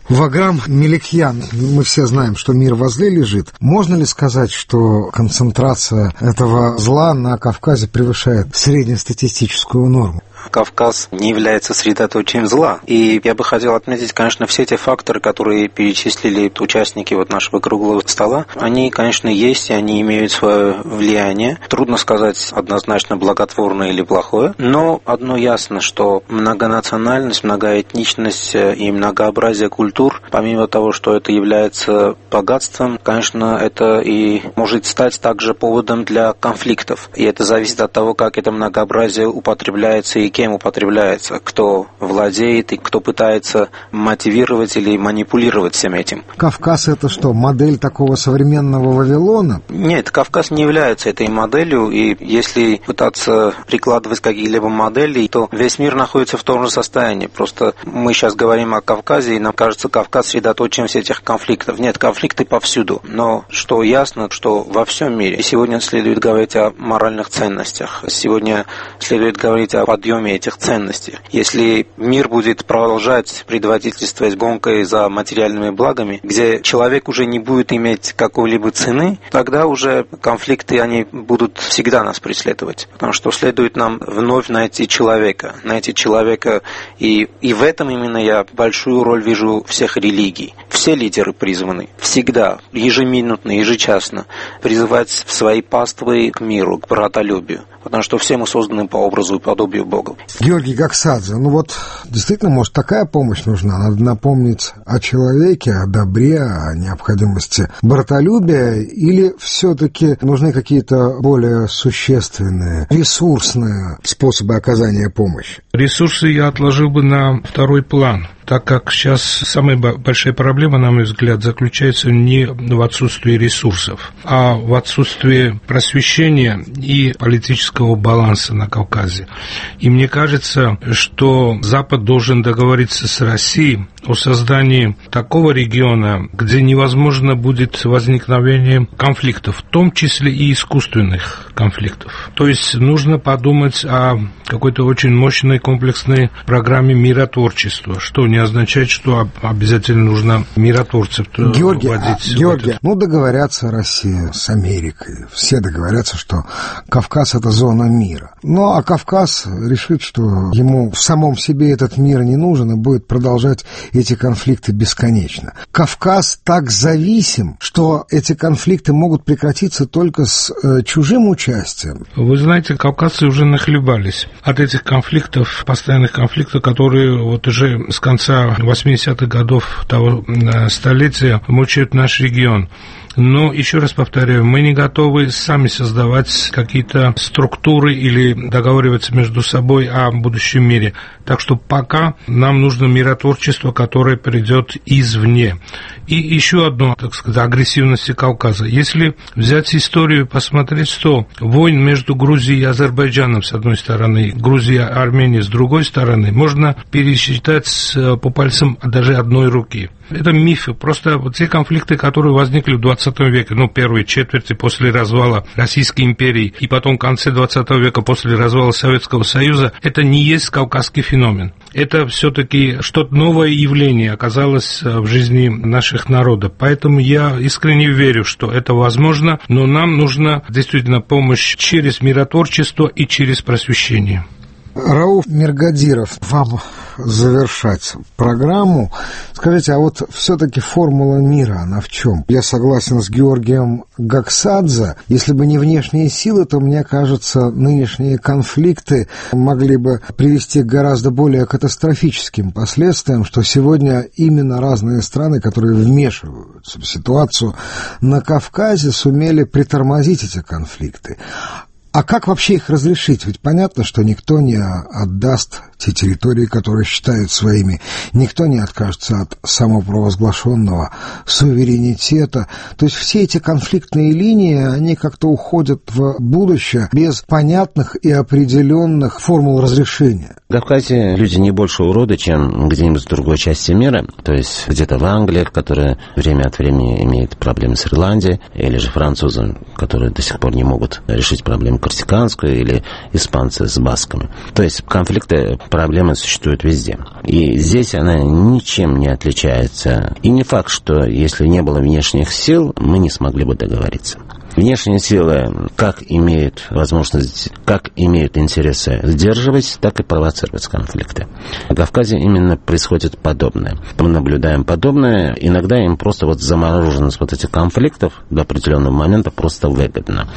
Ваграм Меликьян, мы все знаем, что мир возле лежит. Можно ли сказать, что концентрация этого зла на Кавказе превышает среднестатистическую норму? Кавказ не является средоточием зла. И я бы хотел отметить, конечно, все те факторы, которые перечислили участники вот нашего круглого стола, они, конечно, есть, и они имеют свое влияние. Трудно сказать однозначно благотворное или плохое, но одно ясно, что многонациональность, многоэтничность и многообразие культур, помимо того, что это является богатством, конечно, это и может стать также поводом для конфликтов. И это зависит от того, как это многообразие употребляется и кем употребляется, кто владеет и кто пытается мотивировать или манипулировать всем этим. Кавказ — это что, модель такого современного Вавилона? Нет, Кавказ не является этой моделью, и если пытаться прикладывать какие-либо модели, то весь мир находится в том же состоянии. Просто мы сейчас говорим о Кавказе, и нам кажется, Кавказ средоточием всех этих конфликтов. Нет, конфликты повсюду. Но что ясно, что во всем мире. И сегодня следует говорить о моральных ценностях. Сегодня следует говорить о подъеме этих ценностей. Если мир будет продолжать предводительствовать гонкой за материальными благами, где человек уже не будет иметь какой-либо цены, тогда уже конфликты, они будут всегда нас преследовать. Потому что следует нам вновь найти человека. Найти человека. И, и в этом именно я большую роль вижу всех религий. Все лидеры призваны всегда, ежеминутно, ежечасно призывать в свои паствы к миру, к братолюбию. Потому что все мы созданы по образу и подобию Бога. Георгий Гаксадзе, ну вот действительно, может, такая помощь нужна? Надо напомнить о человеке, о добре, о необходимости братолюбия, или все-таки нужны какие-то более существенные, ресурсные способы оказания помощи? Ресурсы я отложил бы на второй план, так как сейчас самая большая проблема проблема, на мой взгляд, заключается не в отсутствии ресурсов, а в отсутствии просвещения и политического баланса на Кавказе. И мне кажется, что Запад должен договориться с Россией о создании такого региона, где невозможно будет возникновение конфликтов, в том числе и искусственных конфликтов. То есть нужно подумать о какой-то очень мощной комплексной программе миротворчества, что не означает, что обязательно нужно миротворцев Георгий, вводить. А, Георгий, ну договорятся Россия с Америкой, все договорятся, что Кавказ — это зона мира. Ну а Кавказ решит, что ему в самом себе этот мир не нужен и будет продолжать эти конфликты бесконечно. Кавказ так зависим, что эти конфликты могут прекратиться только с э, чужим участием. Вы знаете, кавказцы уже нахлебались от этих конфликтов, постоянных конфликтов, которые вот уже с конца восьмидесятых годов того столетия мучают наш регион. Но, еще раз повторяю, мы не готовы сами создавать какие-то структуры или договариваться между собой о будущем мире. Так что пока нам нужно миротворчество, которое придет извне. И еще одно, так сказать, агрессивности Кавказа. Если взять историю и посмотреть, что войн между Грузией и Азербайджаном с одной стороны, Грузия и Армения с другой стороны, можно пересчитать по пальцам даже одной руки. Это мифы. Просто вот те конфликты, которые возникли в двадцатом веке, ну, первые четверти после развала Российской империи и потом в конце двадцатого века после развала Советского Союза, это не есть кавказский феномен. Это все-таки что-то новое явление оказалось в жизни наших народов. Поэтому я искренне верю, что это возможно, но нам нужна действительно помощь через миротворчество и через просвещение. Рауф Миргадиров, вам завершать программу. Скажите, а вот все-таки формула мира, она в чем? Я согласен с Георгием Гаксадзе. Если бы не внешние силы, то, мне кажется, нынешние конфликты могли бы привести к гораздо более катастрофическим последствиям, что сегодня именно разные страны, которые вмешиваются в ситуацию на Кавказе, сумели притормозить эти конфликты. А как вообще их разрешить? Ведь понятно, что никто не отдаст те территории, которые считают своими, никто не откажется от самопровозглашенного суверенитета. То есть все эти конфликтные линии, они как-то уходят в будущее без понятных и определенных формул разрешения. В Кавказе люди не больше уроды, чем где-нибудь в другой части мира. То есть где-то в Англии, которая время от времени имеет проблемы с Ирландией, или же французы, которые до сих пор не могут решить проблему корсиканскую, или испанцы с басками. То есть конфликты, проблемы существуют везде. И здесь она ничем не отличается. И не факт, что если не было внешних сил, мы не смогли бы договориться. Внешние силы как имеют возможность, как имеют интересы сдерживать, так и провоцировать конфликты. На Кавказе именно происходит подобное. Мы наблюдаем подобное. Иногда им просто вот замороженность вот этих конфликтов до определенного момента просто выгодно.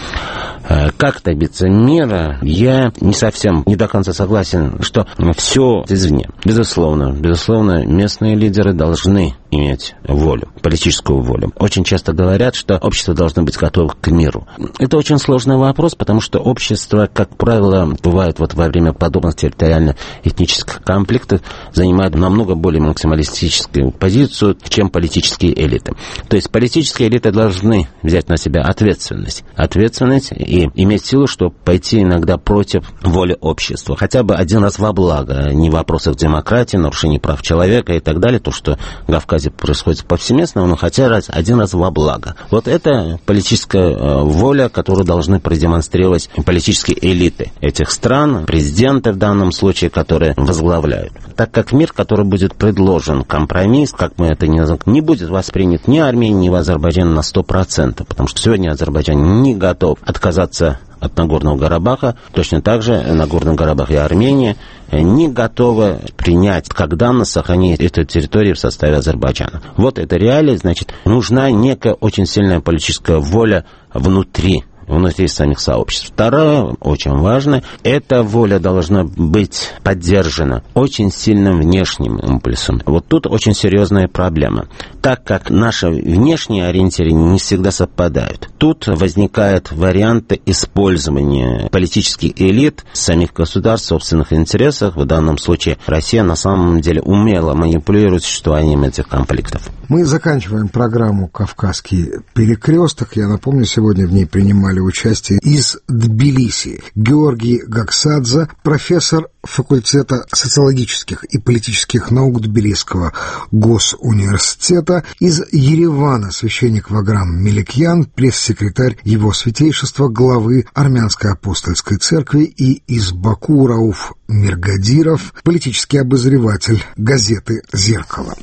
Как добиться мира, я не совсем, не до конца согласен, что все извне. Безусловно, безусловно, местные лидеры должны иметь волю, политическую волю. Очень часто говорят, что общество должно быть готово к миру. Это очень сложный вопрос, потому что общество, как правило, бывает вот во время подобных территориально-этнических конфликтов, занимает намного более максималистическую позицию, чем политические элиты. То есть политические элиты должны взять на себя ответственность. Ответственность и иметь силу, чтобы пойти иногда против воли общества. Хотя бы один раз во благо, не в вопросах демократии, нарушений прав человека и так далее, то, что в Кавказе происходит повсеместно, но хотя раз, один раз во благо. Вот это политическая э, воля, которую должны продемонстрировать политические элиты этих стран, президенты в данном случае, которые возглавляют. Так как мир, который будет предложен, компромисс, как мы это не назовем, не будет воспринят ни Арменией, ни Азербайджаном на сто процентов, потому что сегодня Азербайджан не готов отказаться от Нагорного Карабаха, точно так же Нагорный Карабах и Армения не готовы принять как данность сохранить эту территорию в составе Азербайджана. Вот это реалия, значит, нужна некая очень сильная политическая воля внутри внутри самих сообществ. Второе, очень важно, эта воля должна быть поддержана очень сильным внешним импульсом. Вот тут очень серьезная проблема. Так как наши внешние ориентиры не всегда совпадают, тут возникают варианты использования политических элит, самих государств, собственных интересов. В данном случае Россия на самом деле умело манипулирует существованием этих конфликтов. Мы заканчиваем программу «Кавказский перекресток». Я напомню, сегодня в ней принимали участие из Тбилиси Георгий Гаксадзе, профессор факультета социологических и политических наук Тбилисского госуниверситета, из Еревана священник Ваграм Меликьян, пресс-секретарь его святейшества, главы Армянской апостольской церкви, и из Баку Рауф Миргадиров, политический обозреватель газеты «Зеркало».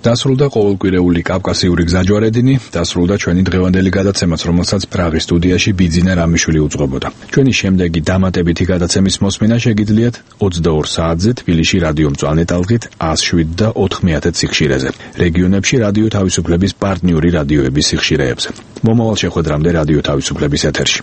დასრულდა ყოველკვირეული კავკასიური გზაჯვარედინი, დასრულდა ჩვენი დღევანდელი გადაცემაც, რომელსაც პრაღის სტუდიაში ბიძინა რამიშვილი უძღვებოდა. ჩვენი შემდეგი დამატებითი გადაცემის მოსმენა შეგიძლიათ ოცდაორ საათზე თბილისში რადიო მწვანე ტალღით ას შვიდ და ოთხმეათე სიხშირეზე, რეგიონებში რადიო თავისუფლების პარტნიორი რადიოების სიხშირეებზე. მომავალ შეხვედრამდე რადიო თავისუფლების ეთერში.